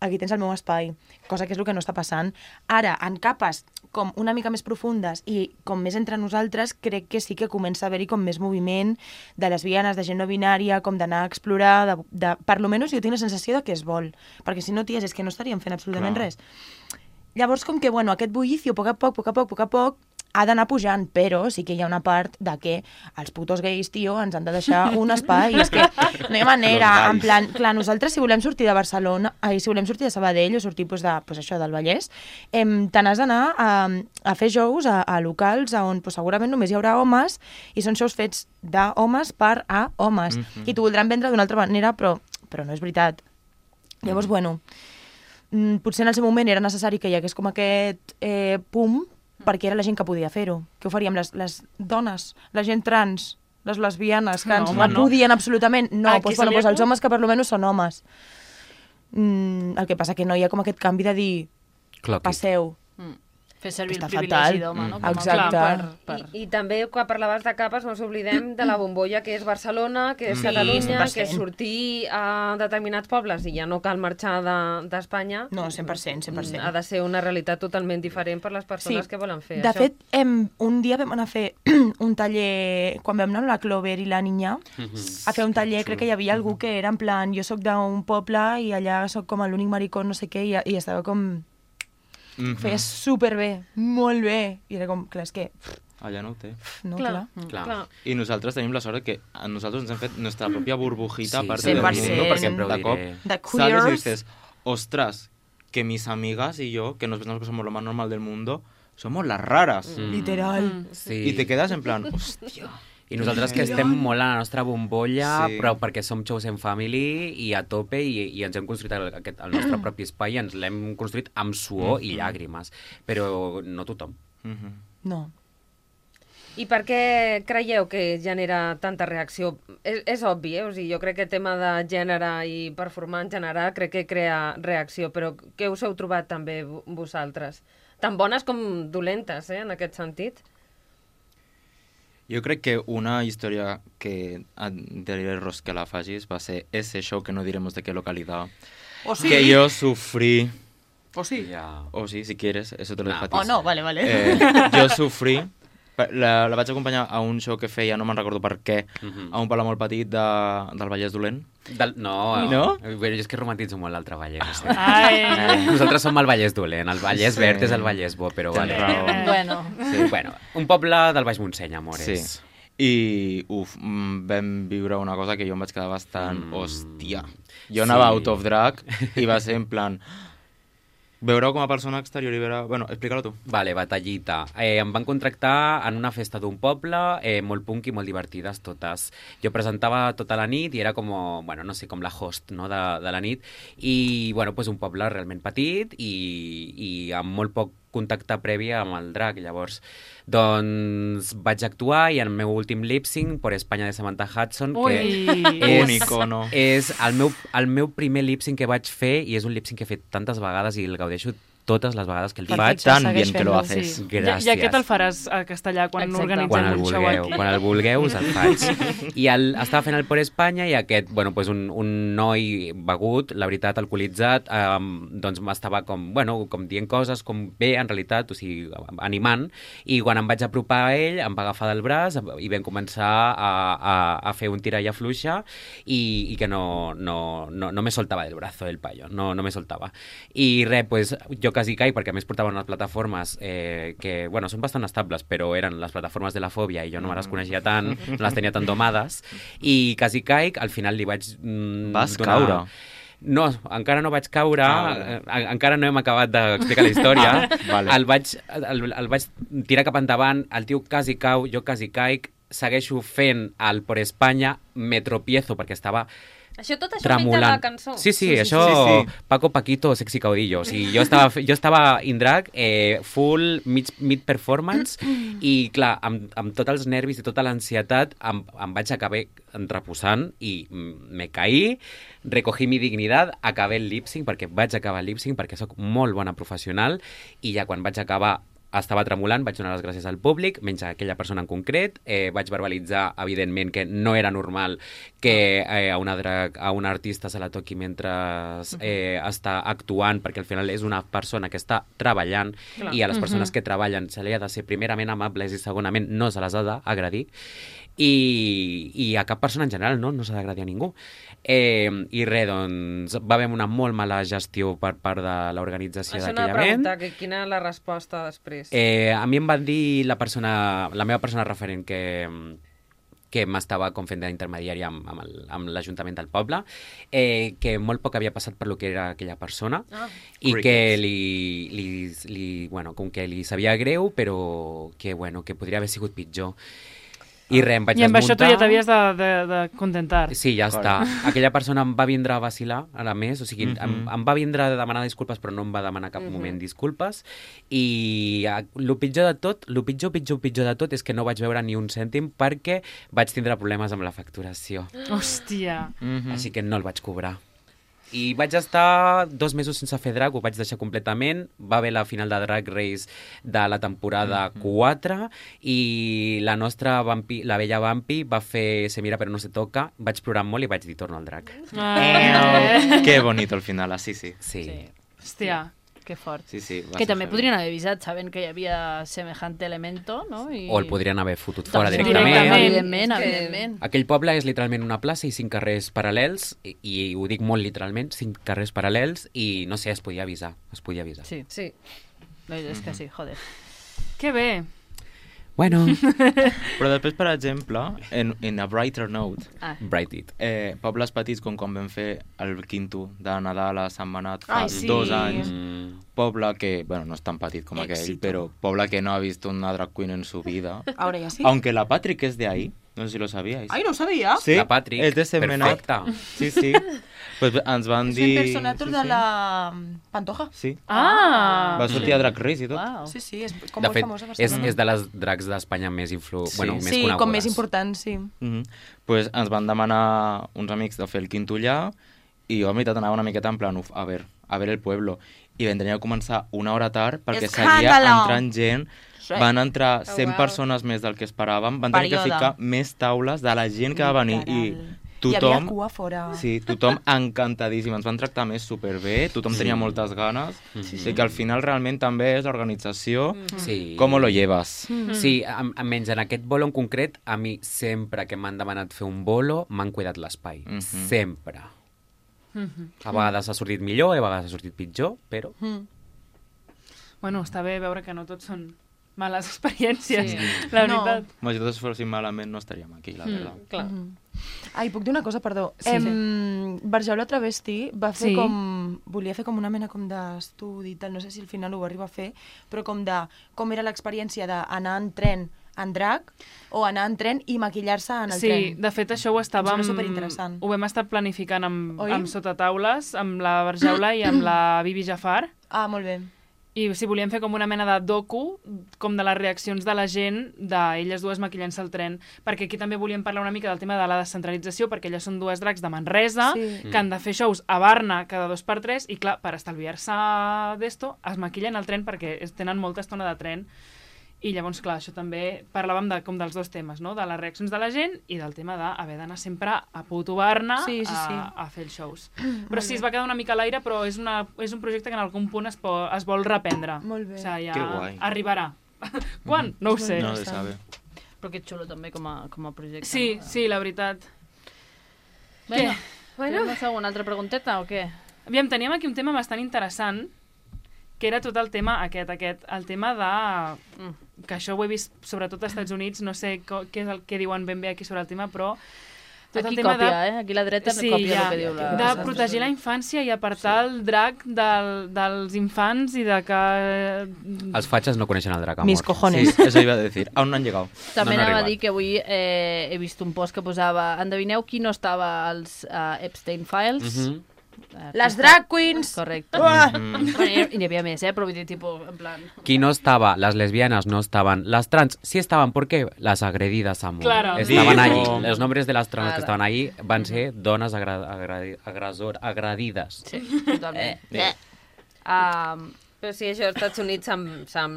D: aquí tens el meu espai, cosa que és el que no està passant. Ara, en capes com una mica més profundes i com més entre nosaltres, crec que sí que comença a haver-hi com més moviment de lesbianes, de gent no binària, com d'anar a explorar, de, de, per lo menys jo tinc la sensació de que es vol, perquè si no, ties, és que no estaríem fent absolutament
E: Clar.
D: res. Llavors, com que, bueno, aquest bullicio, a poc a poc, a poc a poc, a poc a poc, ha d'anar pujant, però sí que hi ha una part de que els putos gais, tio, ens han de deixar un espai, i és que no hi ha manera,
E: Los
D: en
E: gais.
D: plan, clar, nosaltres si volem sortir de Barcelona, ai, si volem sortir de Sabadell o sortir pues, de, pues, això, del Vallès, em, te n'has d'anar a, a fer shows a, a locals on pues, segurament només hi haurà homes i són shows fets d'homes per a homes,
E: Mhm.
D: i t'ho voldran vendre d'una altra manera, però, però no és veritat. Llavors, bueno, mm, potser en el seu moment era necessari que hi hagués com aquest eh, pum, perquè era la gent que podia fer-ho. Què ho faríem? Les, les dones, la gent trans, les lesbianes, que
C: No,
D: ens
C: home,
D: no
C: no.
D: podien absolutament. No,
C: Aquí
D: doncs, bueno,
C: seria
D: doncs els
C: com-
D: homes que per lo menys són homes. Mm, el que passa que no hi ha com aquest canvi de dir
F: Clocky.
D: passeu.
A: Mm. Fer servir
D: Està
A: el privilegi
D: fatal.
A: d'home, no?
E: Mm.
A: Com a
D: Exacte.
A: clar, Per, per...
B: I, I també, quan parlaves de capes, no ens oblidem de la bombolla que és Barcelona, que és
E: Sí,
B: Catalunya,
D: cent per cent.
B: que és sortir a determinats pobles i ja no cal marxar de- d'Espanya.
D: No, cent per cent, cent per cent.
B: Ha de ser una realitat totalment diferent per les persones
D: Sí.
B: que volen fer
D: De
B: això.
D: fet, em, un dia vam anar a fer un taller, quan vam anar amb la Clover i la Niña, a fer un taller, crec que hi havia algú que era en plan, jo sóc d'un poble i allà sóc com l'únic maricó, no sé què, i, i estava com...
E: Mhm.
D: Feia superbé, molt bé. I era com, clar, és que... pff,
E: Allà no ho té.
D: no,
B: Clar.
D: clar.
A: Mm.
F: Clar.
B: Clar.
E: I nosaltres tenim la sort que a nosaltres ens hem fet nostra pròpia burbujita
F: Sí,
E: a part
F: cent
E: del
F: per
E: mundo,
D: cent.
E: perquè
F: Sempre ho
E: de cop
F: diré.
D: De
E: sales y
D: queers.
E: dices, ostras, que mis amigas y yo, que nos pensamos que somos lo más normal del mundo, somos las raras.
F: Mm.
D: Literal.
F: Sí.
E: Y te quedas en plan, hòstia.
F: I nosaltres que estem molt a la nostra bombolla,
E: Sí.
F: però perquè som Chosen Family i a tope i, i ens hem construït el, aquest, el nostre propi espai i ens l'hem construït amb suor i llàgrimes. Però no tothom.
E: Mhm.
D: No.
B: I per què creieu que genera tanta reacció? És, és obvi, eh? O sigui, jo crec que el tema de gènere i performar en general crec que crea reacció, però què us heu trobat també vo- vosaltres? Tan bones com dolentes, eh, en aquest sentit?
E: Jo crec que una història que diré Ros que la facis va ser ese show que no diremos de qué localidad.
D: O sí.
E: Que yo sufrí.
D: O sí.
F: Ja.
E: O sí, si quieres, eso te lo dejo a ti.
D: O no, vale, vale.
E: Eh, jo sufrí. La, la vaig acompanyar a un show que feia, no me'n recordo per què,
F: Mhm.
E: a un poble molt petit de, del Vallès Dolent.
F: Del, no,
E: No?
F: Bueno, jo és que romantitzo molt l'altre Vallès.
C: Ai.
F: Eh, nosaltres som el Vallès dolent, el Vallès
E: Sí.
F: verd és el Vallès bo, però
E: Tens
F: vale.
E: raó.
A: Bueno,
F: Sí. Bueno, un poble del Baix Montseny, amores.
E: Sí. I, uf, mm, vam viure una cosa que jo em vaig quedar bastant,
F: Mm.
E: hòstia. Jo anava
F: Sí.
E: out of drag i va ser en plan... Veure-ho com a persona exterior i veure... Bueno, explica-lo tu.
F: Vale, batallita. Eh, em van contractar en una festa d'un poble, eh, molt punk i molt divertides totes. Jo presentava tota la nit i era com, bueno, no sé, com la host, no?, de, de la nit. I, bueno, pues un poble realment petit i, i amb molt poc contacte previ amb el drag. Llavors, doncs vaig actuar i en el meu últim lip-sync per Espanya de Samantha Hudson,
C: Ui.
F: que
E: Un icono.
F: és el meu, el meu primer lip-sync que vaig fer i és un lip-sync que he fet tantes vegades i el gaudeixo totes les vegades que el
D: Perfecte.
F: faig.
E: Tan
D: segueix
E: bien que lo
D: fent-ho,
E: haces.
D: sí.
C: I,
F: Gràcies.
C: I aquest el faràs a castellà quan
A: Exacte.
C: organitzem
F: Quan el
C: un show
F: vulgueu,
C: aquí.
F: quan el vulgueu us el faig. I el, estava fent el Por Espanya i aquest, bueno, pues un, un noi begut, la veritat, alcoholitzat, eh, doncs m'estava com, bueno, com dient coses com bé, en realitat, o sigui, animant, i quan em vaig apropar a ell, em va agafar del braç i vam començar a, a, a fer un tira i afluixa i, i que no, no, no, no me soltava del brazo el paio, no, no me soltava. I res, pues, jo quasi caic, perquè a més portaven unes plataformes eh, que, bueno, són bastant estables, però eren les plataformes de la fòbia i jo no me les coneixia tant, no les tenia tan domades, i quasi caic, al final li vaig... Mm,
E: Vas
F: donar...
E: caure?
F: No, encara no vaig caure,
E: Ah,
F: eh, encara no hem acabat d'explicar la història.
E: Ah, vale.
F: el, vaig, el, el vaig tirar cap endavant, el tio quasi cau, jo quasi caic, segueixo fent el Por Espanya, me tropiezo perquè estava
B: Això tot això ho la cançó.
F: Sí, sí,
E: Sí, sí,
F: això
E: sí, sí.
F: Paco Paquito, sexy caudillo. O sigui, jo estava, jo estava in drag, eh, full mid, mid performance i clar, amb, amb tots els nervis i tota l'ansietat em, em vaig acabar reposant i me caí, recogí mi dignitat, acabé el lip-sync perquè vaig acabar el lip-sync perquè sóc molt bona professional i ja quan vaig acabar estava tremolant, vaig donar les gràcies al públic, menys a aquella persona en concret, eh, vaig verbalitzar, evidentment, que no era normal que eh, a, una drag, a una artista se la toqui mentre eh, està actuant, perquè al final és una persona que està treballant
B: Clar.
F: i a les persones que treballen se li ha de ser primerament amables i segonament no se les ha d'agredir i, i a cap persona en general no, no s'ha d'agredir a ningú. Eh, I res, doncs, va haver una molt mala gestió per part de l'organització
B: Això
F: d'aquell
B: anava a
F: event.
B: preguntar, que quina és la resposta després.
F: Eh, a mi em van dir la persona, la meva persona referent que, que m'estava com fent d'intermediari amb, amb el- amb l'Ajuntament del poble, eh, que molt poc havia passat per lo que era aquella persona
B: Ah.
F: i
E: Crickets.
F: que li, li, li, bueno, com que li sabia greu, però que, bueno, que podria haver sigut pitjor. I res, em vaig
C: I amb això tu
F: desmuntar.
C: ja t'havies de, de, de contentar.
F: Sí, ja està. Aquella persona em va vindre a vacilar, a més, o sigui,
E: Mhm.
F: em, em va vindre a demanar disculpes, però no em va demanar cap
B: Mhm.
F: moment disculpes. I eh, el pitjor de tot, el pitjor, pitjor, pitjor de tot és que no vaig veure ni un cèntim perquè vaig tindre problemes amb la facturació.
C: Hòstia.
E: Mhm.
F: Així que no el vaig cobrar. I vaig estar dos mesos sense fer drag, ho vaig deixar completament. Va haver la final de Drag Race de la temporada quatre i la nostra vampi, la vella Vampi va fer Se mira però no se toca. Vaig plorar molt i vaig dir torno al drag.
C: Ah,
E: Qué bonito al final, así sí.
F: Sí.
A: Sí.
C: hòstia.
A: Que fort.
E: Sí, sí. va
A: Que
E: ser
A: també
E: heavy.
A: podrien haver avisat, sabent que hi havia semejante elemento, no? I...
F: O el podrien haver fotut fora
A: Doncs
F: directament.
A: Directament, evidentment,
B: És que-
A: evidentment.
F: Aquell poble és literalment una plaça i cinc carrers paral·lels, i, i ho dic molt literalment, cinc carrers paral·lels, i no sé, es podia avisar, es podia avisar.
A: Sí,
B: Sí.
A: no, és que sí, joder.
C: Que bé.
F: Bueno,
E: Però després, per exemple, en, en a brighter note,
A: Ah,
F: bright it.
E: eh, pobles petits com quan vam fer el quinto de Nadal a Sant Manat fa
D: Ai, sí.
E: dos anys,
F: Mm,
E: poble que, bueno, no és tan petit com aquell,
D: Éxito.
E: pero poble que no ha visto una drag queen en su vida.
D: Ahora ya sí.
E: Aunque la Patrick es de ahí, no sé si lo sabíais.
D: Ay, no sabía.
E: Sí,
F: La Patrick,
E: és de Sentmenat.
F: perfecta.
E: Sí, sí. Pues ens van
D: Es
E: dir...
D: el personaje
E: sí,
D: de
E: sí.
D: la Pantoja.
E: Sí,
C: Ah!
E: va sortir a Drag Race i tot.
A: uau.
D: Sí, sí, és com
F: De
D: molt
F: fet,
D: famosa a
F: és,
D: Barcelona.
F: és de les drags d'Espanya més, influ...
E: Sí.
F: bueno, més
D: Sí,
F: conegudes.
D: com més important, sí.
E: Mm -hmm. Pues ens van demanar uns amics de fer el quinto allà i jo a meitat anava una miqueta en plan, uf, a ver, a ver el pueblo. I vam tenir que començar una hora tard perquè seguia
D: Escàndalo!
E: entrant gent van entrar cent
B: Oh, wow.
E: persones més del que esperàvem, van tenir que
D: Període.
E: ficar més taules de la gent que va venir i
D: Literal.
E: tothom...
D: Hi havia cua fora.
E: Sí, tothom encantadíssim, ens van tractar més superbé, tothom tenia moltes ganes,
F: Sí,
E: i que al final realment també és l'organització,
F: Sí.
E: com lo llevas.
F: Sí, a, a menys en aquest bolo en concret, a mi sempre que m'han demanat fer un bolo, m'han cuidat l'espai.
E: Mhm.
F: Sempre. A vegades ha sortit millor, a vegades ha sortit pitjor, però...
D: Mm.
C: Bueno, està bé veure que no tot són males experiències,
A: Sí.
C: la
D: No.
C: veritat.
E: Si tots fóssim malament no estaríem aquí, la veritat.
B: Clar.
D: Ai, puc dir una cosa, perdó?
C: Sí.
D: Em, Barjaula Travesti va fer
C: Sí.
D: com... Volia fer com una mena com d'estudi i tal, no sé si al final ho va arribar a fer, però com de com era l'experiència d'anar en tren en drac o anar en tren i maquillar-se en el
C: Sí,
D: tren.
C: de fet això ho estàvem...
D: Em sembla superinteressant.
C: Ho vam estar planificant amb,
D: Oi?
C: amb sotataules, amb la Barjaula i amb la Bibi Jafar.
D: Ah, molt bé.
C: I sí, volíem fer com una mena de docu, com de les reaccions de la gent, d'elles dues maquillant-se al tren, perquè aquí també volíem parlar una mica del tema de la descentralització, perquè elles són dues dracs de Manresa,
D: Sí.
C: que han de fer shows a Barna cada dos per tres, i clar, per estalviar-se d'esto, es maquillen al tren perquè es tenen molta estona de tren. I llavors, clar, això també parlàvem de, com dels dos temes, no? De les reaccions de la gent i del tema d'haver d'anar sempre a puto Barna
D: Sí, sí, sí.
C: a, a fer els shows. Però sí, es va quedar una mica a l'aire, però és, una, és un projecte que en algun punt es, po, es vol reprendre.
D: Molt bé.
C: O sigui, ja
E: Que guai.
C: arribarà. Quan? No ho sé.
E: No se sabe.
A: Però que xulo també com a, com a projecte.
C: Sí,
A: no?
C: sí, la veritat.
A: Bueno,
B: Bueno.
A: bueno. Fem una altra pregunteta o què?
C: Aviam, teníem aquí un tema bastant interessant, que era tot el tema aquest, aquest, el tema de... mm, que això ho he vist sobretot als Estats Units, no sé co, què és el que diuen ben bé aquí sobre el tema, però... Tot
A: Aquí
C: el tema
A: còpia,
C: de...
A: eh? Aquí la dreta
C: Sí,
A: còpia
C: ja,
A: el que diu la...
C: de protegir la infància i apartar el drac del, dels infants i de que...
F: Els fatxes no coneixen el drac, amor.
D: Mis cojones.
E: Sí, eso iba a decir. Aún no han llegado.
A: També
F: no han
A: anava a
F: arribat.
A: dir que avui eh, he vist un post que posava endevineu qui no estava als uh, Epstein Files?
F: Mhm.
A: Eh,
D: Les
A: qui
D: drag queens!
A: està- Correcte.
D: Uah!
E: Mm.
A: Bueno, i n'hi havia més, eh? Però vull dir, tipus, en plan...
F: Qui no estaba, las lesbianas no estaban, las trans sí estaban, ¿por qué? Las agredidas, amor.
C: Claro.
F: Estaban
E: Digo.
F: allí, los nombres de las trans
A: Ara.
F: que estaban ahí van ser dones agra agra agresor agredides.
A: Sí, totalment.
E: Eh.
A: Um,
B: Però sí, això als Estats Units s'han s'han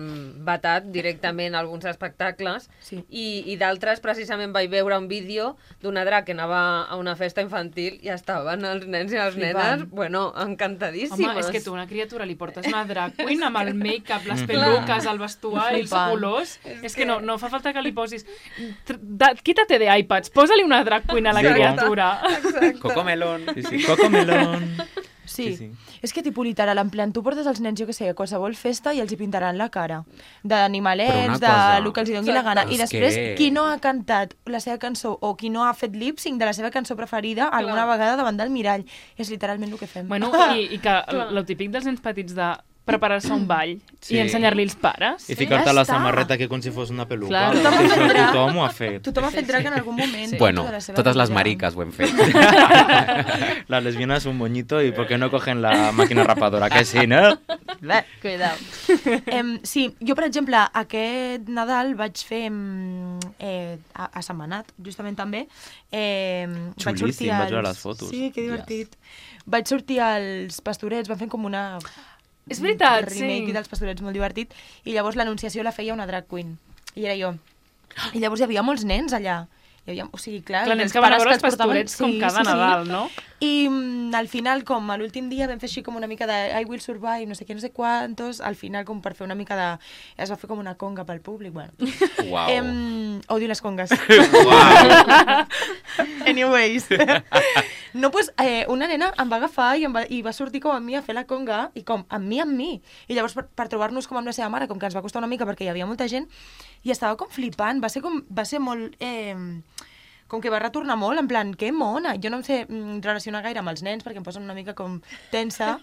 B: vetat directament alguns espectacles
D: Sí.
B: i, i d'altres precisament vaig veure un vídeo d'una drac que anava a una festa infantil i estaven els nens i les
D: Flipant.
B: nenes, bueno, encantadíssimes.
C: Home, és que tu a una criatura li portes una drag queen amb el make-up, les
E: Mhm.
C: peluques, el vestuari, els
D: Flipant.
C: colors... És que no, no fa falta que li posis... Tr- da- Quítate de iPads, posa-li una drag queen a la
E: Digo.
C: criatura.
F: Cocomelón.
E: Sí, sí. Cocomelón.
D: Sí.
E: Sí, sí.
D: És que tipus literal, en plan, tu portes els nens, jo que sé, a qualsevol festa i els hi pintaran la cara. D'animalets, de
F: cosa-
D: lo que els hi doni la gana. I
F: És
D: després,
F: que-
D: qui no ha cantat la seva cançó o qui no ha fet lip-sync de la seva cançó preferida alguna vegada davant del mirall. És literalment el que fem.
C: Bueno, i, i que el típic dels nens petits de preparar-se un ball
E: Sí.
C: i ensenyar-li els pares.
E: I ficar-te
D: Ja
E: la
D: està.
E: samarreta que com si fos una peluca.
A: Claro.
E: Tothom,
D: Tothom aprendrà.
E: tothom ho ha fet.
D: Tothom ha fet drag en algun moment.
F: Sí. Bueno,
D: de la seva
F: totes les
D: vida.
F: mariques ho hem fet.
E: Las lesbianas un moñito y ¿por qué no cogen la máquina rapadora? Que sí, ¿no?
A: cuidao.
D: Em, sí, jo, per exemple, aquest Nadal vaig fer em, eh, a, a Setmanat, justament també. Eh, vaig
E: Xulíssim,
D: sortir
E: vaig veure
D: als-
E: les fotos.
D: Sí, que divertit. Vaig sortir als Pastorets, van fer com una...
C: És veritat,
D: remake
C: sí.
D: dels Pastorets molt divertit, i llavors l'anunciació la feia una drag queen, i era jo. I llavors hi havia molts nens allà. Hi havia, o sigui, clar,
C: Clar, nens
D: els
C: que van a
D: pares
C: veure els
D: els portaven-
C: Pastorets com cada Nadal, no?
D: I mm, al final, com a l'últim dia vam fer així com una mica de I will survive, no sé què, no sé quantos, al final com per fer una mica de... Es va fer com una conga pel públic, bueno.
F: Uau.
D: Em, odio les congues.
F: Uau.
D: Anyways. No, pues, eh, una nena em va agafar i, em va, i va sortir com amb mi a fer la conga, i com, amb mi, amb mi. I llavors, per, per trobar-nos com amb la seva mare, com que ens va costar una mica perquè hi havia molta gent, i estava com flipant, va ser com, va ser molt... Eh, com que va retornar molt, en plan, que mona. Jo no em sé mm, relacionar gaire amb els nens perquè em posen una mica com tensa,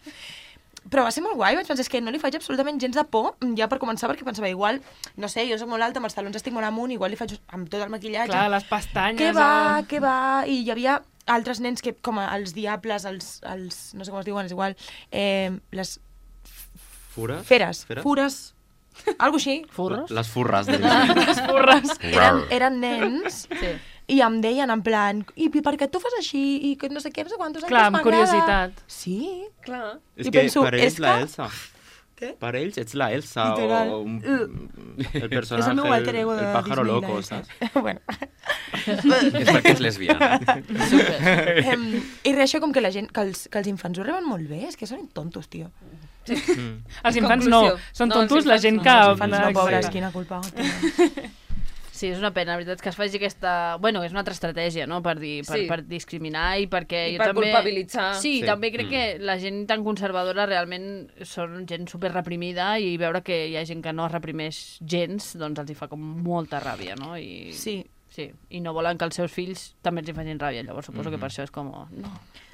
D: però va ser molt guai, vaig pensar, és que no li faig absolutament gens de por, ja per començar, perquè pensava, igual, no sé, jo soc molt alta, amb els talons estic molt amunt, igual li faig amb tot el maquillatge.
C: Clar, les pestanyes...
D: Què va,
C: eh?
D: què va? I hi havia altres nens que, com els diables, els, els no sé com es diuen, és igual, eh, les
E: Fures?
D: feres,
E: Feres?
D: fures, algo així.
A: Furros?
E: Les furres. De...
C: Les furres.
D: Eren, eren nens
A: Sí.
D: i em deien en plan, i per què tu fas així? I que no sé què, no sé quantos anys
C: Clar, amb
D: m'agrada.
C: curiositat.
D: Sí.
B: Clar.
E: És
D: I
E: que
D: penso,
E: per ells
D: és
E: la
D: que-
E: Elsa.
D: Què?
E: Per ells ets la Elsa
D: Literal.
E: o un, el
D: És
E: personatge,
D: el meu alter ego de
E: el pájaro
D: Disney,
E: loco,
D: la
E: saps?
D: Elsa. Bueno.
F: És perquè és lesbiana.
D: Em, I res, això com que la gent, que els, que els infants ho reben molt bé, és que són tontos, tio.
E: Mm.
C: Els infants no,
B: Conclusió.
C: són
B: No, els
C: tontos la
B: infants
C: gent
B: no.
C: que...
D: Els infants no,
C: Exacte.
D: pobres, quina culpa tenen.
A: Sí, és una pena, la veritat, que es faci aquesta... Bueno, és una altra estratègia, no?, per, dir, per,
B: Sí.
A: per discriminar i perquè
B: I
A: jo
B: per
A: també...
B: culpabilitzar.
A: Sí,
E: Sí.
A: també crec
F: Mm.
A: que la gent tan conservadora realment són gent super reprimida i veure que hi ha gent que no es reprimeix gens, doncs els hi fa com molta ràbia, no? I...
D: Sí,
A: Sí, i no volen que els seus fills també els hi facin ràbia, llavors suposo que per això és com... No,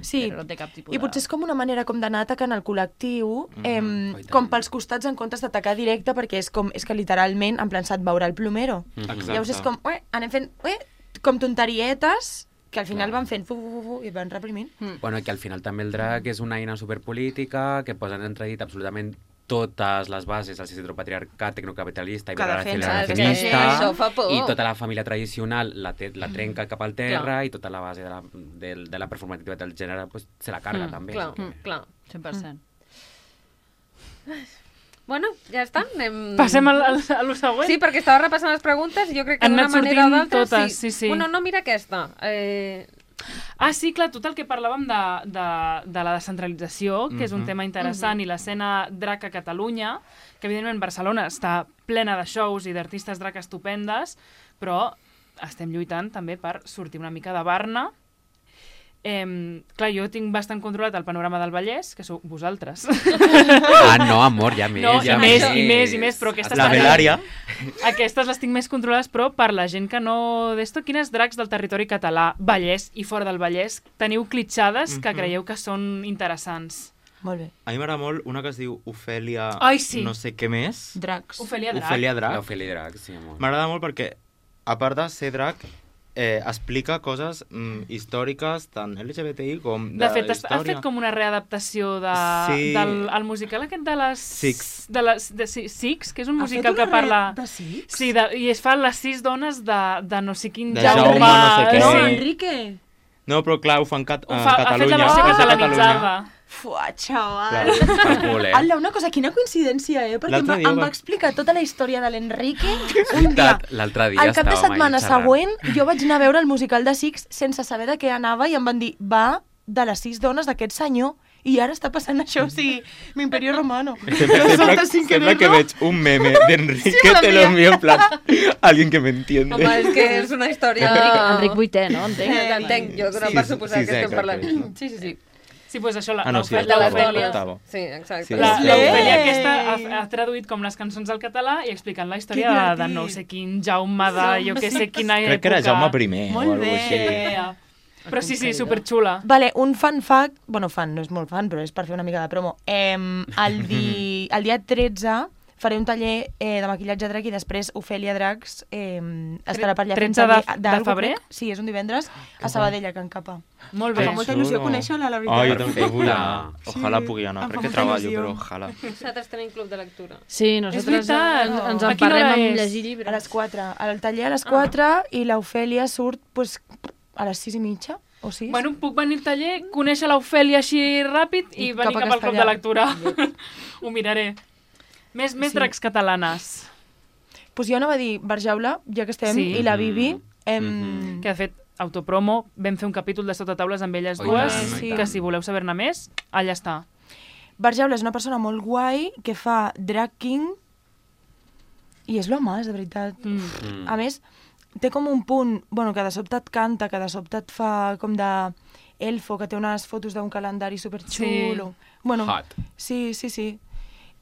D: sí.
A: però no té cap tipus
D: I
A: de...
D: potser és com una manera com d'anar atacant el col·lectiu,
E: Mhm,
D: em,
F: oi tant.
D: com pels costats en comptes d'atacar directe, perquè és com és que literalment, en plan, se't veurà el plomero.
E: Exacte.
D: Llavors és com, ué, anem fent, ué, com tonterietes, que al final van fent fu, fu, fu, fu, i van reprimint.
F: Bueno, que al final també el drac és una eina superpolítica que posa en entredit absolutament totes les bases del heteropatriarcat tecnocapitalista i
D: Que defensa,
B: és que
F: feminista
B: això fa por.
F: i tota la família tradicional la, te, la trenca cap al terra
B: Clar.
F: i tota la base de la, de, de la performativitat del gènere pues, se la carga
A: Mm,
F: també.
B: Clar,
F: així que-
B: clar.
A: cent per cent.
B: Bueno, ja està. Anem...
C: Passem al, al, a lo següent.
B: Sí, perquè estava repassant les preguntes i jo crec que
C: Han
B: d'una
C: anat
B: manera o
C: sortint
B: d'altra...
C: totes, sí, sí.
B: Bueno, no, mira aquesta. Eh...
C: Ah, sí, clar, tot el que parlàvem de, de, de la descentralització, que és un
E: Mhm.
C: tema interessant, i l'escena drac a Catalunya, que evidentment Barcelona està plena de shows i d'artistes drac estupendes, però estem lluitant també per sortir una mica de Barna. Eh, clar, jo tinc bastant controlat el panorama del Vallès, que sou vosaltres.
F: Ah, no, amor, ja més,
C: No,
F: ja
C: i més, i més, i més, però aquestes...
E: La
C: també-
E: Belària.
C: Aquestes les tinc més controlades, però per la gent que no... D'esto, quines dracs del territori català, Vallès i fora del Vallès, teniu clitxades que
E: Mhm.
C: creieu que són interessants?
D: Molt bé.
E: A mi m'agrada molt una que es diu Ofèlia...
C: Ai, sí.
E: No sé què més.
D: Dracs.
C: Ofèlia Drac.
E: Ofèlia Drac.
F: L'Ofèlia Drac, sí, amor.
E: M'agrada molt perquè, a part de ser drac, eh, explica coses mm, històriques, tant L G B T I com de,
C: De fet, has, has
E: història.
C: fet com una readaptació de,
E: Sí.
C: del el musical aquest de les...
E: Six.
C: De les, de, sí, Six, que és un
D: Ha
C: musical
D: fet una
C: que parla...
D: red de Six?
C: Sí, de, i es fa les sis dones de, de no sé quin
E: De
C: Jaume...
E: Jaume no sé què.
D: No,
C: sí.
D: Enrique.
E: No, però clar, ho fan cat
C: Ho
E: en
C: fa, ha fet
E: Catalunya.
C: la versió
E: és de
C: catalanitzada.
D: Fuà, xaval.
E: Clar.
F: Pel cul, eh?
D: Ala, una cosa, quina coincidència, eh? Perquè em
E: L'altre
D: va,
E: dia
D: em
E: va-
D: va explicar tota la història de l'Enrique un dia.
F: L'altre dia
D: Al cap de
F: estàvem
D: setmana
F: ahí xerrant.
D: següent, jo vaig anar a veure el musical de Six sense saber de què anava i em van dir, va de les sis dones d'aquest senyor i ara està passant això, o sigui, l'Imperio Romano.
E: Sempre,
D: Lo
E: sempre,
D: solta sin
E: sempre que
D: quererlo.
E: veig un meme d'Enrique,
D: Sí, me
E: te lo
D: l'envia.
E: envío en plan, alguien que me entiende.
B: Home, és que és una història...
A: Enric, Enric vuitè, no? Entenc.
B: Eh, Entenc, jo dono
E: Sí,
B: per
E: sí,
B: suposar
E: sí,
B: que estem
E: exacte,
B: parlant.
E: no?
B: Sí, sí, sí.
C: Sí, doncs això, la,
E: Ah, no, sí,
C: l'Ofèlia-
B: de les
E: octavo,
B: dones.
E: octavo.
B: Sí, exacte.
E: Sí,
C: La,
E: sí.
C: l'Ofèlia
D: Ei!
C: aquesta ha, ha traduït com les cançons al català i explicant la història
D: Que
C: de, de
D: divertit.
C: no sé quin Jaume de jo que sé quina
E: Crec que era
C: època.
E: Jaume primer o
D: Molt
E: alguna
D: bé.
E: cosa així.
C: Yeah. Però sí, sí, superxula.
D: Vale, un fan fact, bueno, fan, no és molt fan, però és per fer una mica de promo. Eh, el, di, el dia tretze faré un taller eh, de maquillatge drac i després Ofèlia Dracs eh, estarà per allà fent
C: tretze de-
D: taller
C: de
D: d'algo,
C: febrer?
D: crec. Sí, és un divendres a Sabadell, a Can Capa.
C: Molt
D: Em
C: bé.
D: fa molta
E: xulo.
D: il·lusió conèixer-la, la
E: Ah,
D: veritat.
E: jo també vull anar.
D: Sí.
E: Ojalà pugui anar,
D: Em fa
E: perquè
D: molta
E: treballo,
D: il·lusió.
E: però ojalà.
B: Nosaltres tenim club de lectura.
A: Sí, nosaltres
C: veritat.
A: ens, ens
C: A quina
A: emparrem
C: hora
A: amb
C: és?
A: llegir
D: A
A: llibres.
D: les quatre. El taller a les quatre i l'Ofèlia surt pues, a les sis i mitja o sis.
C: Bueno, puc venir al taller, conèixer l'Ofèlia així ràpid i,
D: I
C: venir
D: cap a
C: cap al club de
D: Castellà.
C: lectura. Ho miraré. Més, més
D: Sí.
C: dracs catalanes.
D: Pues jo anava a dir Barjaula, ja que estem,
C: Sí.
D: i la Bibi.
F: Mm.
D: Em...
F: Mhm.
C: Que, de fet, autopromo, vam fer un capítol de Sota Taules amb elles
F: Oh, i
C: dues,
D: tant, i
C: que
F: tant.
C: si voleu saber-ne més, allà està.
D: Barjaula és una persona molt guai que fa drag king i és l'home, és de veritat.
C: Mm.
F: Mm.
D: A més, té com un punt, bueno, que de sobte et canta, que de sobte et fa com de elfo, que té unes fotos d'un calendari superxulo. Bueno,
F: Hot.
D: sí, sí, sí.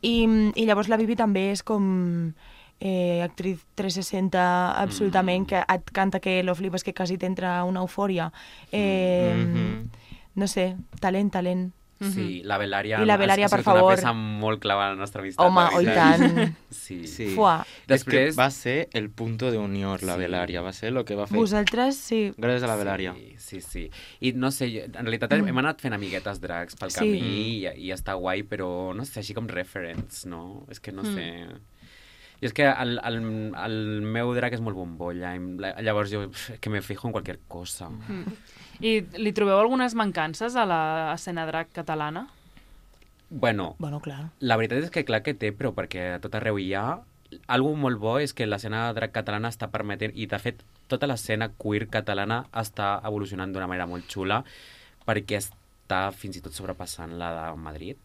D: I, I llavors la Bibi també és com eh, actriz trescientos seixanta absolutament,
F: Mm.
D: que et canta que lo flipes, que quasi t'entra una eufòria. Eh,
E: Mhm.
D: No sé, talent, talent.
F: Sí, la Belària...
D: I la Belària,
F: ha sigut
D: per favor.
F: una peça molt clara en la nostra amistat.
D: Home,
F: la
D: oi
F: veritat.
D: tant.
F: Sí.
E: Sí.
D: Fuà.
E: És que
F: Després-
E: va ser el punto de unió, la
F: Sí.
E: Belària. Va ser el que va fer.
D: Vosaltres, sí.
E: Gràcies a la Belària.
F: Sí, sí, sí. I no sé, jo- en realitat hem hem anat fent amiguetes drags pel
D: Sí.
F: camí i, i està guai, però no sé, així com referents, no? És que no
A: Mm.
F: sé... I és que el, el, el meu drag és molt bombolla, i la- llavors jo pf, que me fijo en qualsevol cosa.
C: I li trobeu algunes mancances a l'escena drac catalana?
F: Bueno,
D: Bueno, clar.
F: la veritat és que clar que té, però perquè a tot arreu hi ha. Algo molt bo és que l'escena drag catalana està permetent, i de fet tota l'escena queer catalana està evolucionant d'una manera molt xula, perquè està fins i tot sobrepassant la de Madrid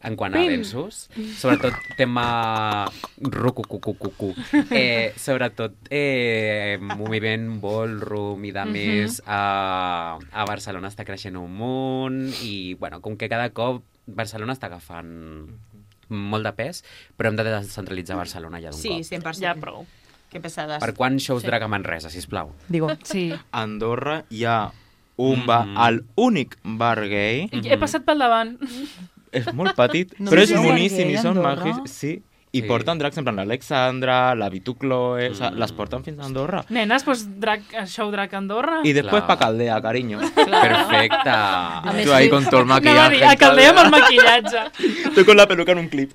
F: en quant a avenços, sobretot tema rucucucucucu, eh, sobretot eh, moviment ballroom i de més, a, a Barcelona està creixent un munt i, bueno, com que cada cop Barcelona està agafant molt de pes, però hem de descentralitzar Barcelona ja d'un
D: Sí,
F: cop.
D: cent per cent.
C: Ja prou.
D: Que pesades.
F: Per quan shows drag a Manresa, sisplau?
D: Digo,
C: Sí.
E: A Andorra hi ha un
F: Mm.
E: bar, el únic bar gay.
C: I he passat pel davant.
E: És molt petit,
D: No
E: però
D: sé
E: és
D: si és
E: boníssim
D: gay
E: i
D: a
E: són
D: Andorra.
E: magis. Sí, i
F: Sí.
E: porten dracs, en plan l'Alexandra, la Vitu Chloe, o sigui,
F: Mm.
E: les porten fins a Andorra.
C: Nenes, doncs drag, show drag a Andorra.
E: I després
F: Clar.
E: pa Caldea, cariño.
F: Perfecte.
A: més,
E: Tu ahí
A: sí.
E: con todo el
C: Anava a
E: maquillaje.
C: dir, a Caldea amb el maquillatge.
E: Tu con la peluca en un clip.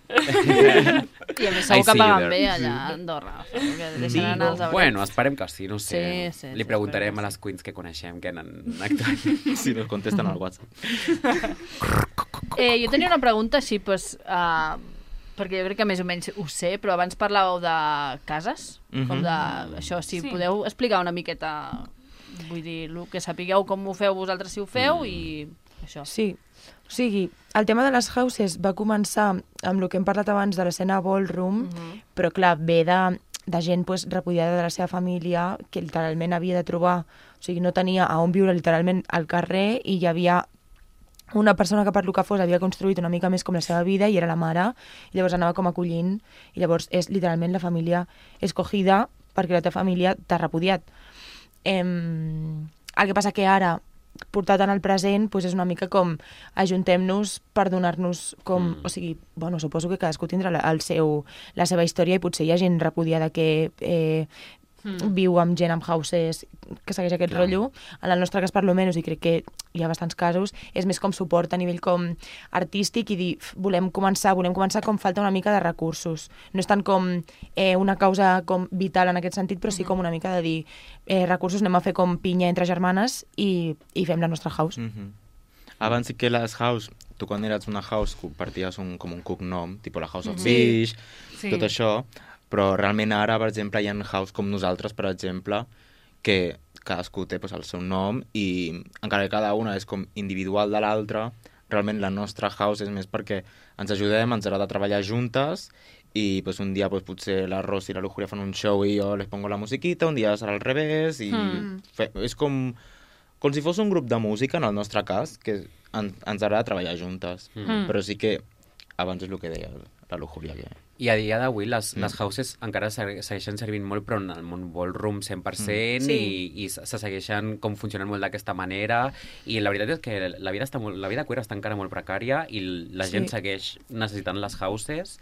A: I a més segur
F: I
A: que
F: see you
A: paguen
F: there.
A: bé allà a Andorra. Que deixen anar els abrets.
F: Bueno, esperem que sí, no sé.
A: Sí, sí,
F: Li
A: sí,
F: preguntarem
A: esperem
F: a
A: que
F: les queens que coneixem que han actuat.
E: Si nos contesten al WhatsApp.
A: Eh, jo tenia una pregunta així, pues, uh, perquè jo crec que més o menys ho sé, però abans parlàveu de cases,
E: Mhm.
A: com de això, si
C: Sí.
A: podeu explicar una miqueta, vull dir, el que sapigueu com ho feu vosaltres si ho feu i això.
D: sí. O sigui, el tema de les houses va començar amb el que hem parlat abans de l'escena ballroom,
A: Mhm.
D: però clar, ve de, de gent pues, repudiada de la seva família que literalment havia de trobar, o sigui, no tenia a on viure literalment al carrer i hi havia una persona que per lo que fos havia construït una mica més com la seva vida i era la mare, i llavors anava com acollint, i llavors és literalment la família escogida perquè la teva família t'ha repudiat. Em, el que passa que ara, portat en el present, doncs és una mica com ajuntem-nos per donar-nos com...
F: Mm.
D: O sigui, bueno, suposo que cadascú tindrà la, el seu, la seva història i potser hi ha gent repudiada que eh,
A: Mm.
D: viu amb gent amb houses que segueix aquest
F: Clar.
D: rotllo. En el nostre cas, per lo menys, i crec que hi ha bastants casos, és més com suport a nivell com artístic i dir, "F, volem començar, volem començar com falta una mica de recursos. No és tant com eh, una causa com vital en aquest sentit, però sí com una mica de dir eh, recursos, anem a fer com pinya entre germanes i, i fem la nostra house.
E: Mhm. Abans sí que les house, tu quan eres una house comparties un, com un cognom, tipus la House of Fish,
C: Sí.
E: tot això, però realment ara, per exemple, hi ha house com nosaltres, per exemple, que cadascú té pues, el seu nom i encara que cada una és com individual de l'altra, realment la nostra house és més perquè ens ajudem, ens agrada treballar juntes i pues, un dia pues, potser la Ros i la Lujuria fan un show i jo les pongo la musiquita, un dia serà al revés i
C: Mm.
E: fe, és com, com si fos un grup de música, en el nostre cas, que en, ens agrada treballar juntes.
F: Mm.
E: Però sí que abans és el que deia la Lujuria, que
F: I a dia d'avui les,
E: Mm.
F: les houses encara se- segueixen servint molt, però en el món ballroom cent per cent
D: Mm. Sí.
F: i, i se se segueixen com funcionant molt d'aquesta manera i la veritat és que la vida, està molt, la vida queer està encara molt precària i la
D: Sí.
F: gent segueix necessitant les houses,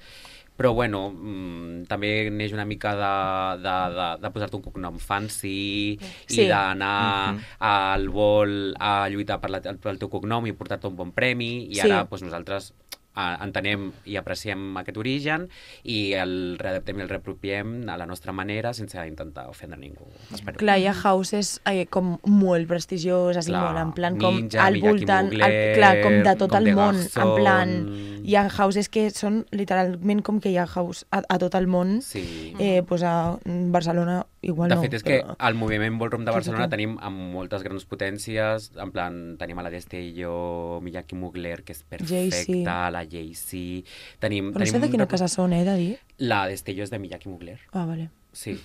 F: però bueno, mm, també neix una mica de, de, de, de posar-te un cognom fancy
D: Sí.
F: i d'anar
E: Mhm.
F: al vol a lluitar per la, pel teu cognom i portar-te un bon premi i
D: Sí.
F: ara doncs, nosaltres eh, entenem i apreciem aquest origen i el readaptem i el repropiem a la nostra manera sense intentar ofendre ningú. Espero.
D: Clar, hi ha houses eh, com molt prestigioses i
F: Clar,
D: molt, en plan com
F: Ninja,
D: al
F: Miyaki
D: voltant,
F: Mugler,
D: al, clar, com de tot
F: com
D: el
F: de
D: món,
F: Garzón.
D: en plan, hi ha houses que són literalment com que hi ha house a, a tot el món,
F: Sí.
D: eh, pues a Barcelona igual
F: De
D: no.
F: fet, és que
D: però-
F: al moviment ballroom de
D: Tot i
F: Barcelona
D: que-
F: tenim amb moltes grans potències, en plan, tenim a la Destello, Miyaki Mugler, que és perfecta,
D: Jay-Z.
F: la Jay-Z... Tenim,
D: Però no sé
F: tenim
D: de quina
F: rep-
D: casa són, eh, de dir.
F: La Destello és de Miyaki Mugler.
D: Ah, vale.
F: Sí.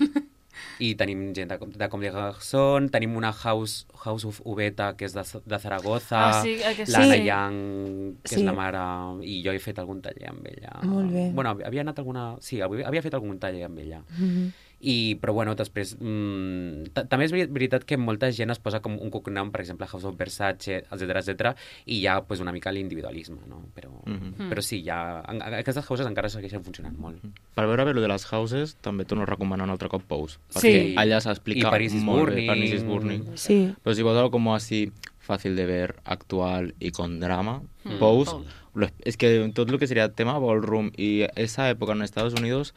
F: I tenim gent de, de Com de Garzón, tenim una house, house of Ubeta, que és de, de Zaragoza,
C: Ah, sí, eh, que sí.
F: l'Anna
C: Sí.
F: Yang, que
D: Sí.
F: és la mare, i jo he fet algun taller amb ella.
D: Molt bé.
F: Bueno, havia anat alguna... Sí, havia havia fet algun taller amb ella.
D: Mhm.
F: I, però bueno, després mm, ta- també és veri- veritat que molta gent es posa com un cognom, per exemple House of Versace, etcètera etcètera, i hi ha pues, una mica l'individualisme, no? Però,
E: Mhm.
F: però sí, ja, en, en, aquestes houses encara segueixen funcionant molt.
E: Per veure bé lo de les houses, també torno a recomanar un altre cop Pose.
C: Sí.
E: Perquè allà s'explica
F: I Paris is
E: molt
F: Burning.
E: bé. Paris is Burning.
D: Sí.
E: Pero si vos algo como así fácil de ver, actual y con drama,
A: Mm.
E: Pose,
A: Pose.
E: lo es- es que todo lo que sería tema ballroom y esa época en Estados Unidos,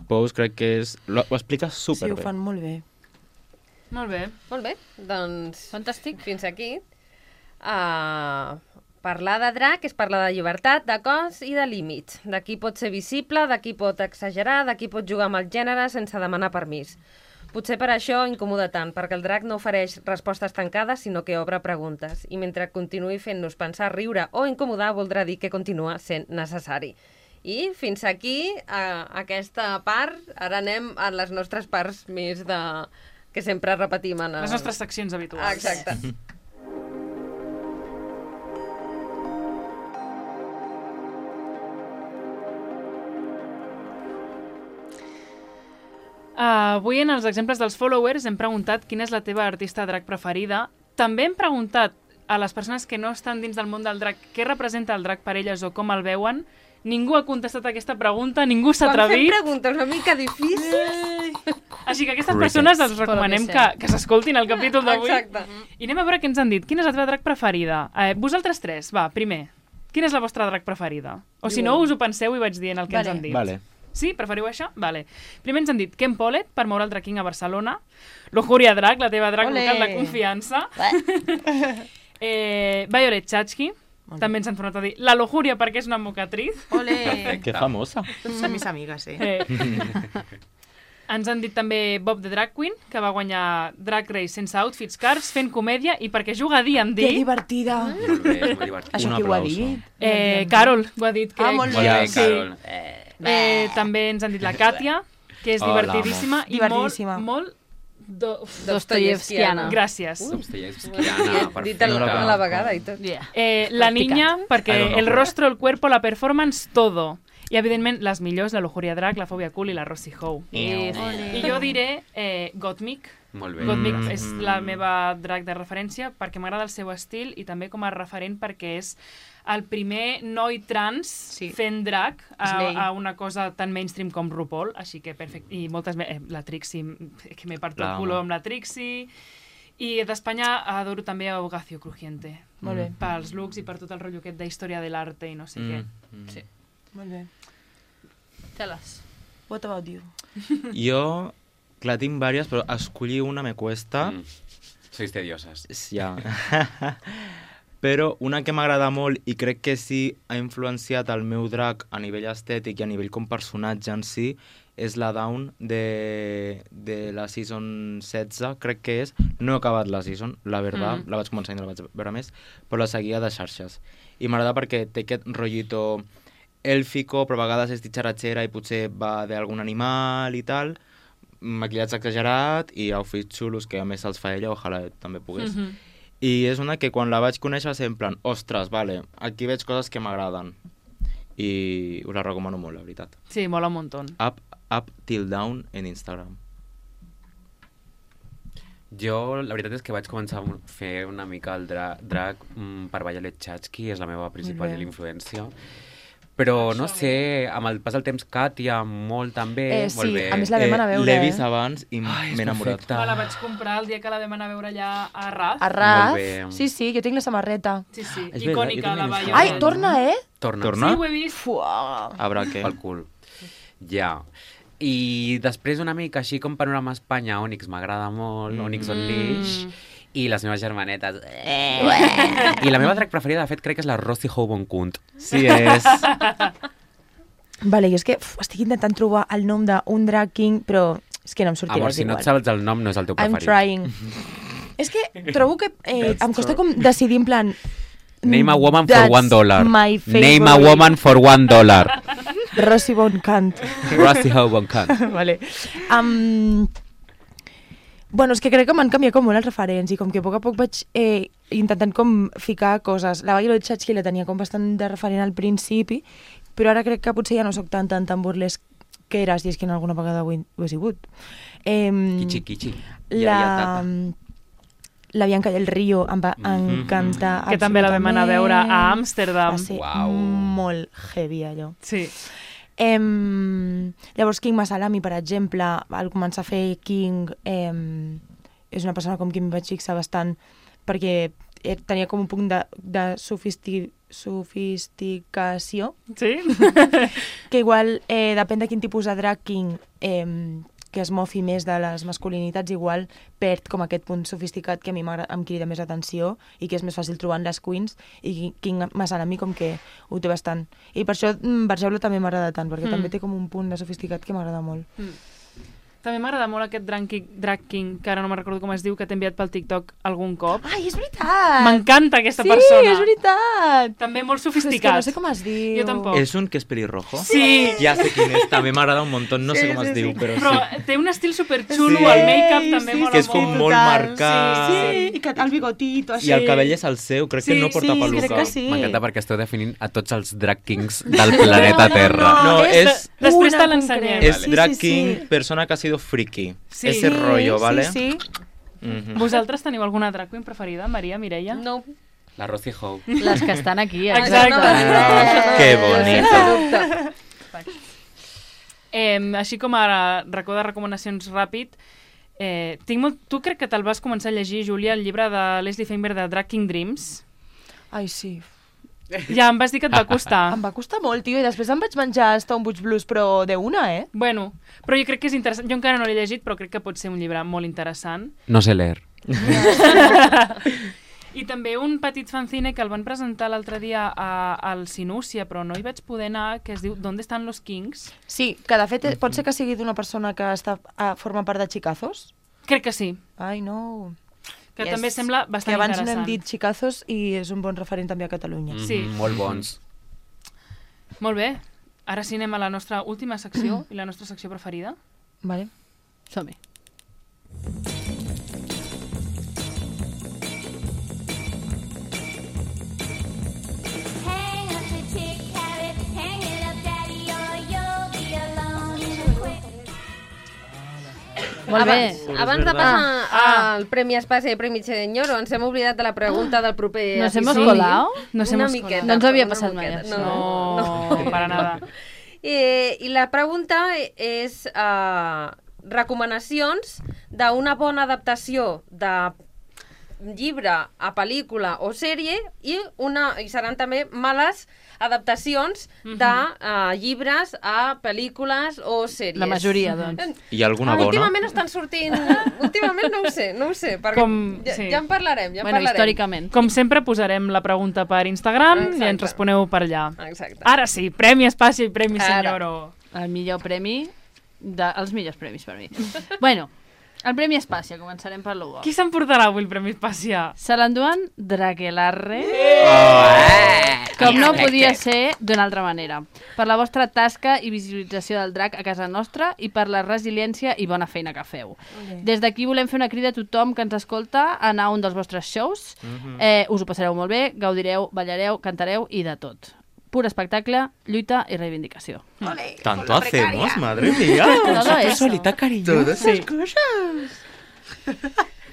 E: Pose crec que és... Lo, ho explica
D: Sí,
E: súper
D: ho
E: bé.
D: fan molt bé.
C: Molt bé.
B: Molt bé, doncs
A: Fantàstic.
B: fins aquí. Uh, Parlar de drac és parlar de llibertat, de cos i de límits. De qui pot ser visible, de qui pot exagerar, de qui pot jugar amb el gènere sense demanar permís. Potser per això incomoda tant, perquè el drac no ofereix respostes tancades, sinó que obre preguntes. I mentre continuï fent-nos pensar, riure o incomodar, voldrà dir que continua sent necessari. I fins aquí, a aquesta part, ara anem a les nostres parts més de... que sempre repetim en el...
C: Les nostres seccions habituals.
B: Exacte.
C: Uh, avui en els exemples dels followers hem preguntat quina és la teva artista drac preferida. També hem preguntat a les persones que no estan dins del món del drac què representa el drac per elles o com el veuen. Ningú ha contestat aquesta pregunta, ningú s'ha
B: Quan fem
C: atrevit.
B: preguntes una mica difícils...
C: Així que a aquestes
F: Crickets.
C: persones els recomanem
A: que
C: que,
A: sí.
C: que s'escoltin el capítol d'avui.
B: Exacte.
C: I anem a veure què ens han dit. Quina és la teva drac preferida? Eh, vosaltres tres, va, primer. Quina és la vostra drac preferida? O si no, us ho penseu i vaig dient el que
A: Vale.
C: ens han dit.
E: Vale.
C: Sí? Preferiu això? Vale. Primer ens han dit Ken Pollet, per moure el drac king a Barcelona. Lujuria Drac, la teva drac
D: Ole.
C: local de confiança. eh, Violet Chachki. També ens han tornat a dir la lujuria perquè és una mocatriz.
D: Ole!
E: Que famosa.
D: Són mis amigues, eh?
C: Eh. Ens han dit també Bob the Drag Queen, que va guanyar Drag Race sense outfits cars, fent comèdia i perquè juga a D and
D: Que
C: D.
D: divertida!
F: Molt bé, és molt divertit.
D: Això
E: Un
D: qui ho ha
E: aplauso.
D: dit?
C: Eh, Carol ho ha dit, crec.
D: Ah, molt
F: Molt bé,
C: Sí.
F: Carol. Eh,
C: Eh, també ens han dit la Katia, que és
F: Hola,
C: divertidíssima i
D: Divertidíssima.
C: molt... molt do... uf,
A: Dostoyevskiana.
C: Gràcies.
F: Dostoyevskiana,
B: Dit a la,
F: perfecte.
B: a la vegada i tot.
A: Yeah.
C: Eh, la niña,
E: I
C: perquè
E: don't know.
C: el rostro, el cuerpo, la performance, todo. I, evidentment, les millors, la Lujuria Drac, la Fòbia Cool i la Rossi Howe.
A: I...
C: I jo diré eh, Gottmik.
F: Molt bé.
C: Gottmik
E: Mm.
C: és la meva drac de referència perquè m'agrada el seu estil i també com a referent perquè és el primer noi trans
D: Sí.
C: fent drac
D: Slay.
C: a, a una cosa tan mainstream com RuPaul, així que perfecte. I moltes més, eh, la Trixie, que m'he partit el
E: L'amo.
C: culo amb la Trixie. I d'Espanya adoro també a Hogacio Crujiente.
D: Molt bé.
C: Pels looks i per tot el rotllo aquest d'història de l'arte i no sé què.
E: Mm.
C: Sí.
D: Molt bé.
A: Tell-us.
D: What about you?
E: Jo, clar, tinc diverses, però escollir una me cuesta.
F: Mm. Sois tedioses.
E: Ja. Però una que m'agrada molt i crec que sí ha influenciat el meu drac a nivell estètic i a nivell com personatge en si és la Dawn de, de la season setze, crec que és. No he acabat la season, la veritat,
C: Mm.
E: la vaig començar i no la vaig veure més, però la seguia de xarxes. I m'agrada perquè té aquest rotllito èlfico, però a vegades és ditxaratxera i potser va d'algun animal i tal, maquillatge exagerat i outfits xulos que a més els fa ella, ojalà també pogués.
C: Mhm.
E: I és una que quan la vaig conèixer va ser en plan, ostres, vale, aquí veig coses que m'agraden. I us la recomano molt, la veritat.
C: Sí, mola un muntó.
E: Up, up till down en Instagram.
F: Jo, la veritat és que vaig començar a fer una mica el dra drag mm, per Violet Chachki, és la meva principal
D: bé.
F: influència. Però, no sé, amb el pas del temps, Katia, molt també,
D: Eh, sí,
F: molt bé.
D: a més la vam anar a veure,
E: L'he
D: eh?
E: vist abans i
F: Ai, és
E: m'he enamorat.
F: perfecte.
C: Me la vaig comprar el dia que la vam anar a veure allà a Raz.
D: A Raz?
F: Molt bé.
D: Sí, sí, jo tinc la samarreta.
C: Sí, sí,
E: És veritat,
C: icònica
E: jo també
C: la
E: l'he vist.
C: Violet.
D: Ai, torna, eh?
F: Torna.
E: Torna?
C: Sí, ho he vist.
D: Fuà.
E: A braque.
F: Pel cul. Ja. I després una mica així com Panorama Espanya, Onyx m'agrada molt,
E: Mm.
F: Onyx Unleash, i les meves germanetes. Eh. I la meva drac preferida, de fet, crec que és la Rossi Howe-Boncunt.
E: Sí, és...
D: Vale, jo és que uf, estic intentant trobar el nom d'un drag king, però és que no em sortirà,
F: Amor,
D: és
F: si no
D: igual.
F: et saps el nom, no és el teu
D: I'm
F: preferit.
D: trying. És que trobo que eh, em costa com decidir en plan...
F: Name a woman for
D: that's
F: one dollar.
D: my
F: Name a
D: favorite.
F: woman for one dollar.
D: Rossi Boncant.
F: Rossi Howe-Boncunt.
D: Vale. Um, bueno, és que crec que m'han canviat com molt els referents i com que a poc a poc vaig eh, intentant com ficar coses. La Violet Chachki la tenia com bastant de referent al principi, però ara crec que potser ja no sóc tan tan tan burlesc que eres, i és que en alguna vegada ho he, ho he sigut. Eh,
F: Quichi, quichi.
D: la, la Bianca del Río em va encantar.
C: Que també la vam anar a veure a
D: absolutament.
C: Amsterdam.
D: Va ser
F: Uau.
D: molt heavy, allò.
C: Sí.
D: Em, llavors King Masalami, per exemple, al començar a fer King, em, és una persona com qui em vaig fixar bastant perquè eh, tenia com un punt de, de sofisti, sofisticació
C: Sí?
D: que igual eh, depèn de quin tipus de drag king eh, que es mofi més de les masculinitats, igual perd com aquest punt sofisticat que a mi em crida més atenció i que és més fàcil trobar en les queens, i King Masanami com que ho té bastant. I per això Barjaula també m'agrada tant, perquè mm. també té com un punt de sofisticat que m'agrada molt.
C: Mm. També m'agrada molt aquest drag king, drag king, que ara no me'n recordo com es diu, que t'he enviat pel TikTok algun cop.
D: Ai, és veritat!
C: M'encanta aquesta
D: sí,
C: persona.
D: Sí, és veritat!
C: També molt sofisticat.
D: És que no sé com es diu.
C: Jo tampoc.
E: És un que és pelirrojo?
C: Sí.
E: Ja sé quin és, també m'agrada un muntó, no
D: sí,
E: sé com
D: sí,
E: es diu,
D: sí.
E: però,
C: però
E: sí.
C: Però té un estil superxulo,
E: sí.
C: el make-up també
D: sí,
C: mola
E: que és com
C: molt.
E: molt
D: total.
E: marcat.
D: Sí, sí, i que el bigotito, així.
E: I el cabell és el seu, crec
C: sí,
E: que no porta
D: sí,
E: peluca.
D: crec que sí.
F: M'encanta perquè esteu definint a tots els drag kings del planeta Terra.
E: No, és...
C: Després
D: una
C: te l'ensenyem.
E: És
D: Sí,
E: drag
D: sí,
E: king,
D: sí.
E: persona que ha sido friki.
C: Sí.
E: Ese rollo,
D: sí,
E: ¿vale?
D: Sí, sí.
E: Mm-hmm.
C: Vosaltres teniu alguna drag queen preferida? Maria, Mireia?
B: No.
F: La Rosie Howe.
A: Les que estan aquí,
C: Exacte.
A: exacte.
B: no,
E: Que
B: no,
E: bonito.
C: Eh, així com a racó de recomanacions ràpid, eh, tinc molt... tu crec que te'l vas començar a llegir, Júlia, el llibre de Leslie Feinberg de Drag King Dreams.
D: Ai, sí.
C: Ja em vas dir que et va costar.
D: Em va costar molt, tio, i després em vaig menjar Stonebridge Blues, però de una, eh?
C: Bueno, però jo crec que és interessant. Jo encara no l'he llegit, però crec que pot ser un llibre molt interessant.
F: No sé leer.
C: I també un petit fanzine que el van presentar l'altre dia a, al Sinúcia, però no hi vaig poder anar, que es diu ¿Dónde están los Kings?
D: Sí, que de fet pot ser que sigui d'una persona que està, a, forma part de Chicazos.
C: Crec que sí,
D: Ai, no...
C: que
D: Yes.
C: també sembla bastant
D: Que abans
C: interessant.
D: no hem dit Chicazos i és un bon referent també a Catalunya.
F: Mm,
C: Sí.
F: Molt bons.
C: Molt bé, ara sí anem a la nostra última secció i la nostra secció preferida.
D: Vale.
A: Som-hi.
G: Hang up the tick, have it, hang it up, daddy, or you'll be alone in the quick.
A: Molt bé.
B: Abans, abans de passar
C: Ah.
B: al Premi Espasa i Premi Senyoro, ens hem oblidat de la pregunta del proper
A: Nos hemos
B: episodi.
A: colado?
C: Nos
B: Una
C: hemos
B: miqueta,
C: colado.
A: No ens havia
B: una
A: passat mai,
B: miqueta.
A: això.
B: No,
C: No, para nada.
B: Eh, I la pregunta és uh, recomanacions d'una bona adaptació de llibre a pel·lícula o sèrie i, una, i seran també males adaptacions de uh, llibres a pel·lícules o sèries.
A: La majoria, doncs.
E: Hi ha alguna bona?
B: Últimament estan sortint... Últimament no ho sé, no ho sé. Perquè
C: Com-
B: ja,
C: sí.
B: ja en parlarem, ja en
A: Bueno,
B: parlarem.
A: històricament.
C: Com sempre posarem la pregunta per Instagram i
B: Exacte.
C: ens responeu per allà.
B: Exacte.
C: Ara sí, Premi Espasa i Premi
B: Ara.
C: Senyoro.
A: El millor premi, de, els millors premis per mi. Bueno, el Premi Espàcia, començarem per l'Hugo.
C: Qui s'emportarà avui el Premi Espasa?
A: Se l'enduen Draquelarre,
E: Oh.
A: com no podia ser d'una altra manera. Per la vostra tasca i visualització del drac a casa nostra i per la resiliència i bona feina que feu. Des d'aquí volem fer una crida a tothom que ens escolta a anar a un dels vostres shows. Eh, us ho passareu molt bé, gaudireu, ballareu, cantareu i de tot. Pur espectacle, lluita i reivindicació.
E: Tanto hacemos, madre mía.
A: Todo eso.
E: Todas esas
C: Sí.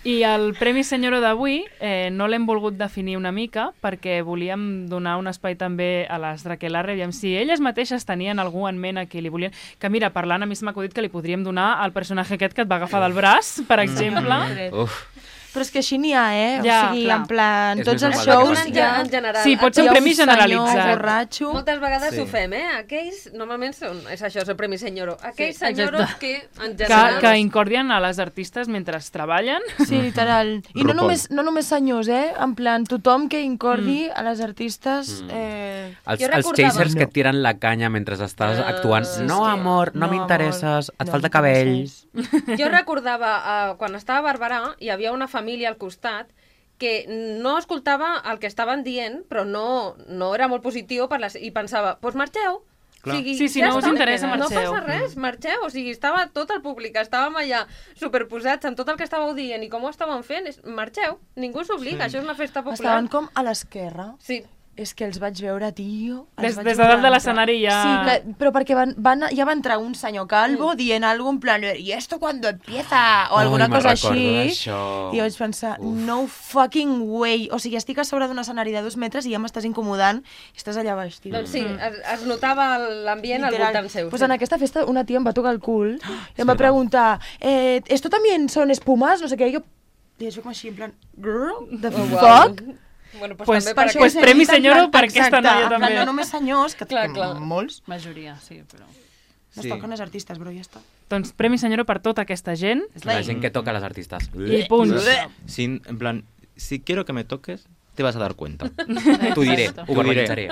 C: I el Premi Senyoro d'avui eh, no l'hem volgut definir una mica perquè volíem donar un espai també a les Draquelarre, aviam si elles mateixes tenien algú en ment a qui li volien... Que mira, parlant, a mi se m'ha acudit que li podríem donar al personatge aquest que et va agafar del braç, per exemple.
F: Uf.
D: Però és que així n'hi ha, eh?
C: Ja,
D: o sigui,
C: clar.
D: en plan,
F: És
D: tots
F: més
D: els
F: igual
D: shows
F: que
B: En,
D: hi ha...
B: en general.
C: Sí, pot ser un
D: hi ha
C: premi
D: senyor
C: generalitzat.
D: borratxo.
B: Moltes vegades
E: Sí.
B: ho fem, eh? Aquells, normalment són, és això, és el Premi Senyoro. Aquells
A: Sí,
B: senyoros
A: exacte.
B: que, en
C: Que,
B: general...
C: que incordien a les artistes mentre treballen.
D: Sí, literal. I no
E: RuPaul.
D: només, no només senyors, eh? En plan, tothom que incordi a les artistes... Eh...
F: Els,
B: Jo
F: els
B: recordava-
F: chasers que
D: No.
F: et tiren la canya mentre estàs
B: Ah,
F: actuant.
B: sí,
F: No,
B: és que-
F: amor, no,
D: no,
F: m'interesses,
D: amor,
F: et
D: no
F: falta cabell.
D: m'interesses.
B: Jo recordava, uh, quan estava a Barberà, hi havia una família al costat que no escoltava el que estaven dient, però no, no era molt positiu per les, i pensava, doncs pues marxeu.
E: Clar.
B: O sigui,
C: Sí, si
B: ja
C: no us
B: està.
C: interessa,
B: No
C: marxeu.
B: passa res, marxeu. O sigui, estava tot el públic, estàvem allà superposats en tot el que estàveu dient i com ho estàvem fent, és, marxeu. Ningú s'obliga,
E: Sí.
B: això és una festa popular.
D: Estaven com a l'esquerra.
B: Sí.
D: És que els vaig veure, tio... els
C: Des,
D: vaig
C: des de
D: veure
C: dalt de
D: entrar.
C: l'escenari ja...
D: Sí, que, però perquè van, van, ja va entrar un senyor calvo mm. dient algo en plan, ¿y esto cuando empieza? O alguna
F: Ai, me'n
D: cosa
F: recordo
D: així.
F: d'això.
D: I vaig pensar,
F: Uf.
D: no fucking way. O sigui, estic a sobre d'un escenari de dos metres i ja m'estàs incomodant i estàs allà baix, tio.
B: Doncs sí, es, es notava l'ambient al
D: Literal.
B: voltant seu.
D: Pues
B: sí.
D: en aquesta festa una tia em va tocar el cul i em va preguntar, eh, ¿esto también son espumas? No sé què. I jo, i això com així, en plan, girl, the
B: Oh, wow.
D: fuck?
B: Bueno, pues,
C: Pues-
B: també
C: per
B: per
C: això pues
B: aquest...
C: Premi
D: he dit, en
C: Senyoro
D: plan,
C: per aquesta
D: exacte,
C: noia
D: en plan,
C: també.
D: No només senyors, que,
B: Clar,
D: que
B: clar.
D: molts.
A: Majoria, sí, però...
D: No
E: Sí.
D: es toquen les artistes, però ja està.
C: Doncs Premi Senyora per tota aquesta gent.
F: La gent que toca a les artistes.
C: I punt.
E: Si, en plan, si quiero que me toques, te vas a dar cuenta.
F: T'ho diré,
A: Exacte.
F: ho verbalitzaré.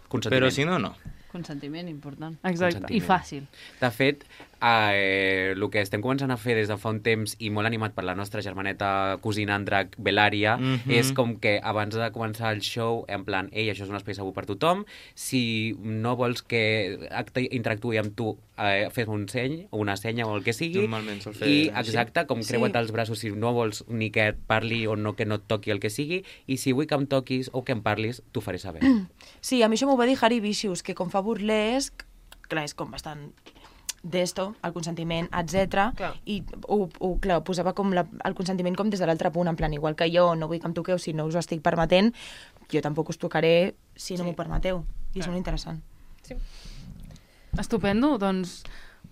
F: Consentiment.
E: Pero si no, no.
A: Consentiment important.
C: Exacte.
A: I fàcil.
F: De fet, eh, el que estem començant a fer des de fa un temps i molt animat per la nostra germaneta cosina en drac, Belària,
E: Mhm.
F: és com que abans de començar el show, en plan, ei, això és un espai segur per tothom, si no vols que acte- interactuï amb tu, eh, fes un seny, o una senya o el que sigui,
E: Normalment sol fer
F: i
E: així.
F: exacte, com
D: Sí.
F: creua't els braços si no vols ni que et parli o no que no et toqui el que sigui, i si vull que em toquis o que em parlis, t'ho faré saber.
D: Sí, a mi això m'ho va dir Harry Vicious, que com fa burlesc, clar, és com bastant d'esto, el consentiment, etcètera.
B: Clar.
D: I ho, ho, clar, posava com la, el consentiment com des de l'altre punt, en plan, igual que jo no vull que em toqueu si no us ho estic permetent, jo tampoc us tocaré si no
B: Sí.
D: m'ho permeteu. I és molt interessant.
C: Estupendo, doncs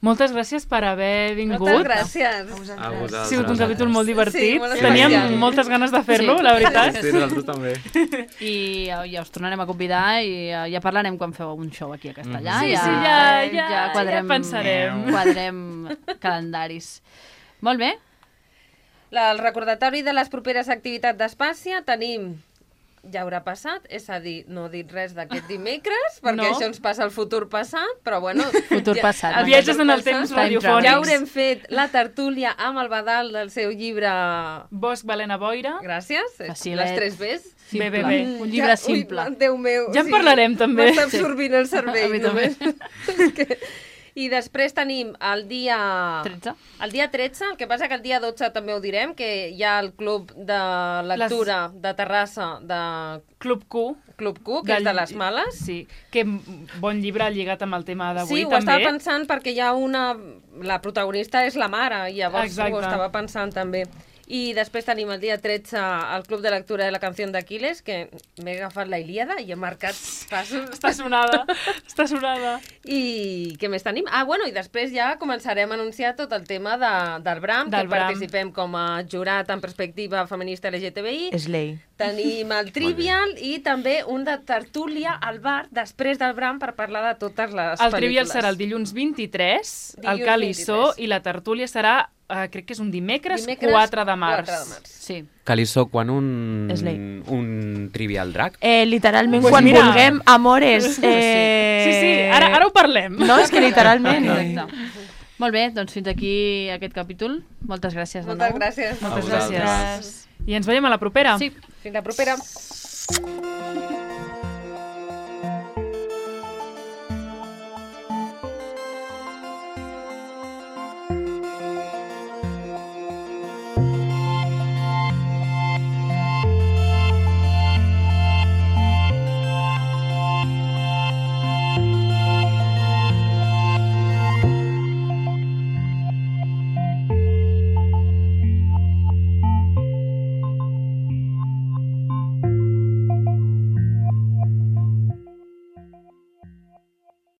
C: moltes gràcies per haver vingut.
B: Moltes gràcies.
E: A vosaltres.
C: Ha sigut un capítol molt divertit.
B: Sí, molt
C: Teníem
B: especial.
C: moltes ganes de fer-lo,
A: Sí.
C: la veritat.
E: Sí, nosaltres també.
A: I ja, ja us tornarem a convidar i ja, ja parlarem quan feu un show aquí a Castellà.
C: Sí,
A: ja,
C: sí, ja- ja- ja
A: quadrem,
C: pensarem.
A: Quadrem calendaris. Molt bé.
B: La, el recordatori de les properes activitats d'Espàcia tenim ja haurà passat, és a dir, no he dit res d'aquest dimecres, perquè
C: No.
B: això ens passa al futur passat, però bueno...
A: Futur passat.
B: el
C: Viatges
B: futur
C: en el
B: passat.
C: temps
A: Time
C: radiofònics.
B: Ja haurem fet la tertúlia amb el Badal del seu llibre...
C: Bosc Balena Boira.
B: Gràcies,
A: Facilet.
B: les tres Bs.
A: Simple.
C: Bé, bé, bé.
A: Un llibre simple.
B: Ui, Déu meu.
C: Ja en parlarem, també.
B: M'està absorbint el
A: A
B: cervell,
A: mi també.
B: només. És que... I després tenim el dia...
A: tretze.
B: El dia tretze, el que passa que el dia dotze també ho direm, que hi ha el club de lectura Les... de Terrassa de
C: Club Q.
B: Club Q, que és de les males.
C: Sí, que bon llibre lligat amb el tema d'avui
B: Sí, ho
C: també.
B: estava pensant perquè hi ha una... La protagonista és la mare, i llavors
C: Exacte.
B: ho estava pensant també. I després tenim el dia tretze el Club de Lectura de la Canció d'Aquiles, que m'he agafat la Ilíada i he marcat passos.
C: Està sonada, està sonada.
B: I què més tenim? Ah, bueno, i després ja començarem a anunciar tot el tema de, del Bram,
C: Del
B: que
C: Bram.
B: participem com a jurat en perspectiva feminista L G T B I.
D: Slay.
B: Tenim el Trivial i també un de tertúlia al bar després del Bram per parlar de totes les
C: El
B: pel·lícules.
C: Trivial serà el dilluns vint-i-tres, el
B: Dilluns
C: Calissó,
B: vint-i-tres.
C: i la tertúlia serà, eh, crec que és un dimecres,
B: Dimecres,
C: quatre de març.
B: quatre de març.
A: Sí.
F: Calissó, quan un,
D: Slay.
F: un trivial drac?
D: Eh, literalment,
C: Pues
D: quan
C: mira.
D: vulguem, amores. Eh...
C: Sí, sí, ara, ara ho parlem.
D: No, és que literalment...
A: Exacte. Molt bé, doncs fins aquí aquest capítol. Moltes gràcies de
B: Moltes
A: nou.
B: gràcies.
C: Moltes
E: A vosaltres.
C: gràcies. I ens veiem a la propera.
A: Sí.
B: Fins la propera.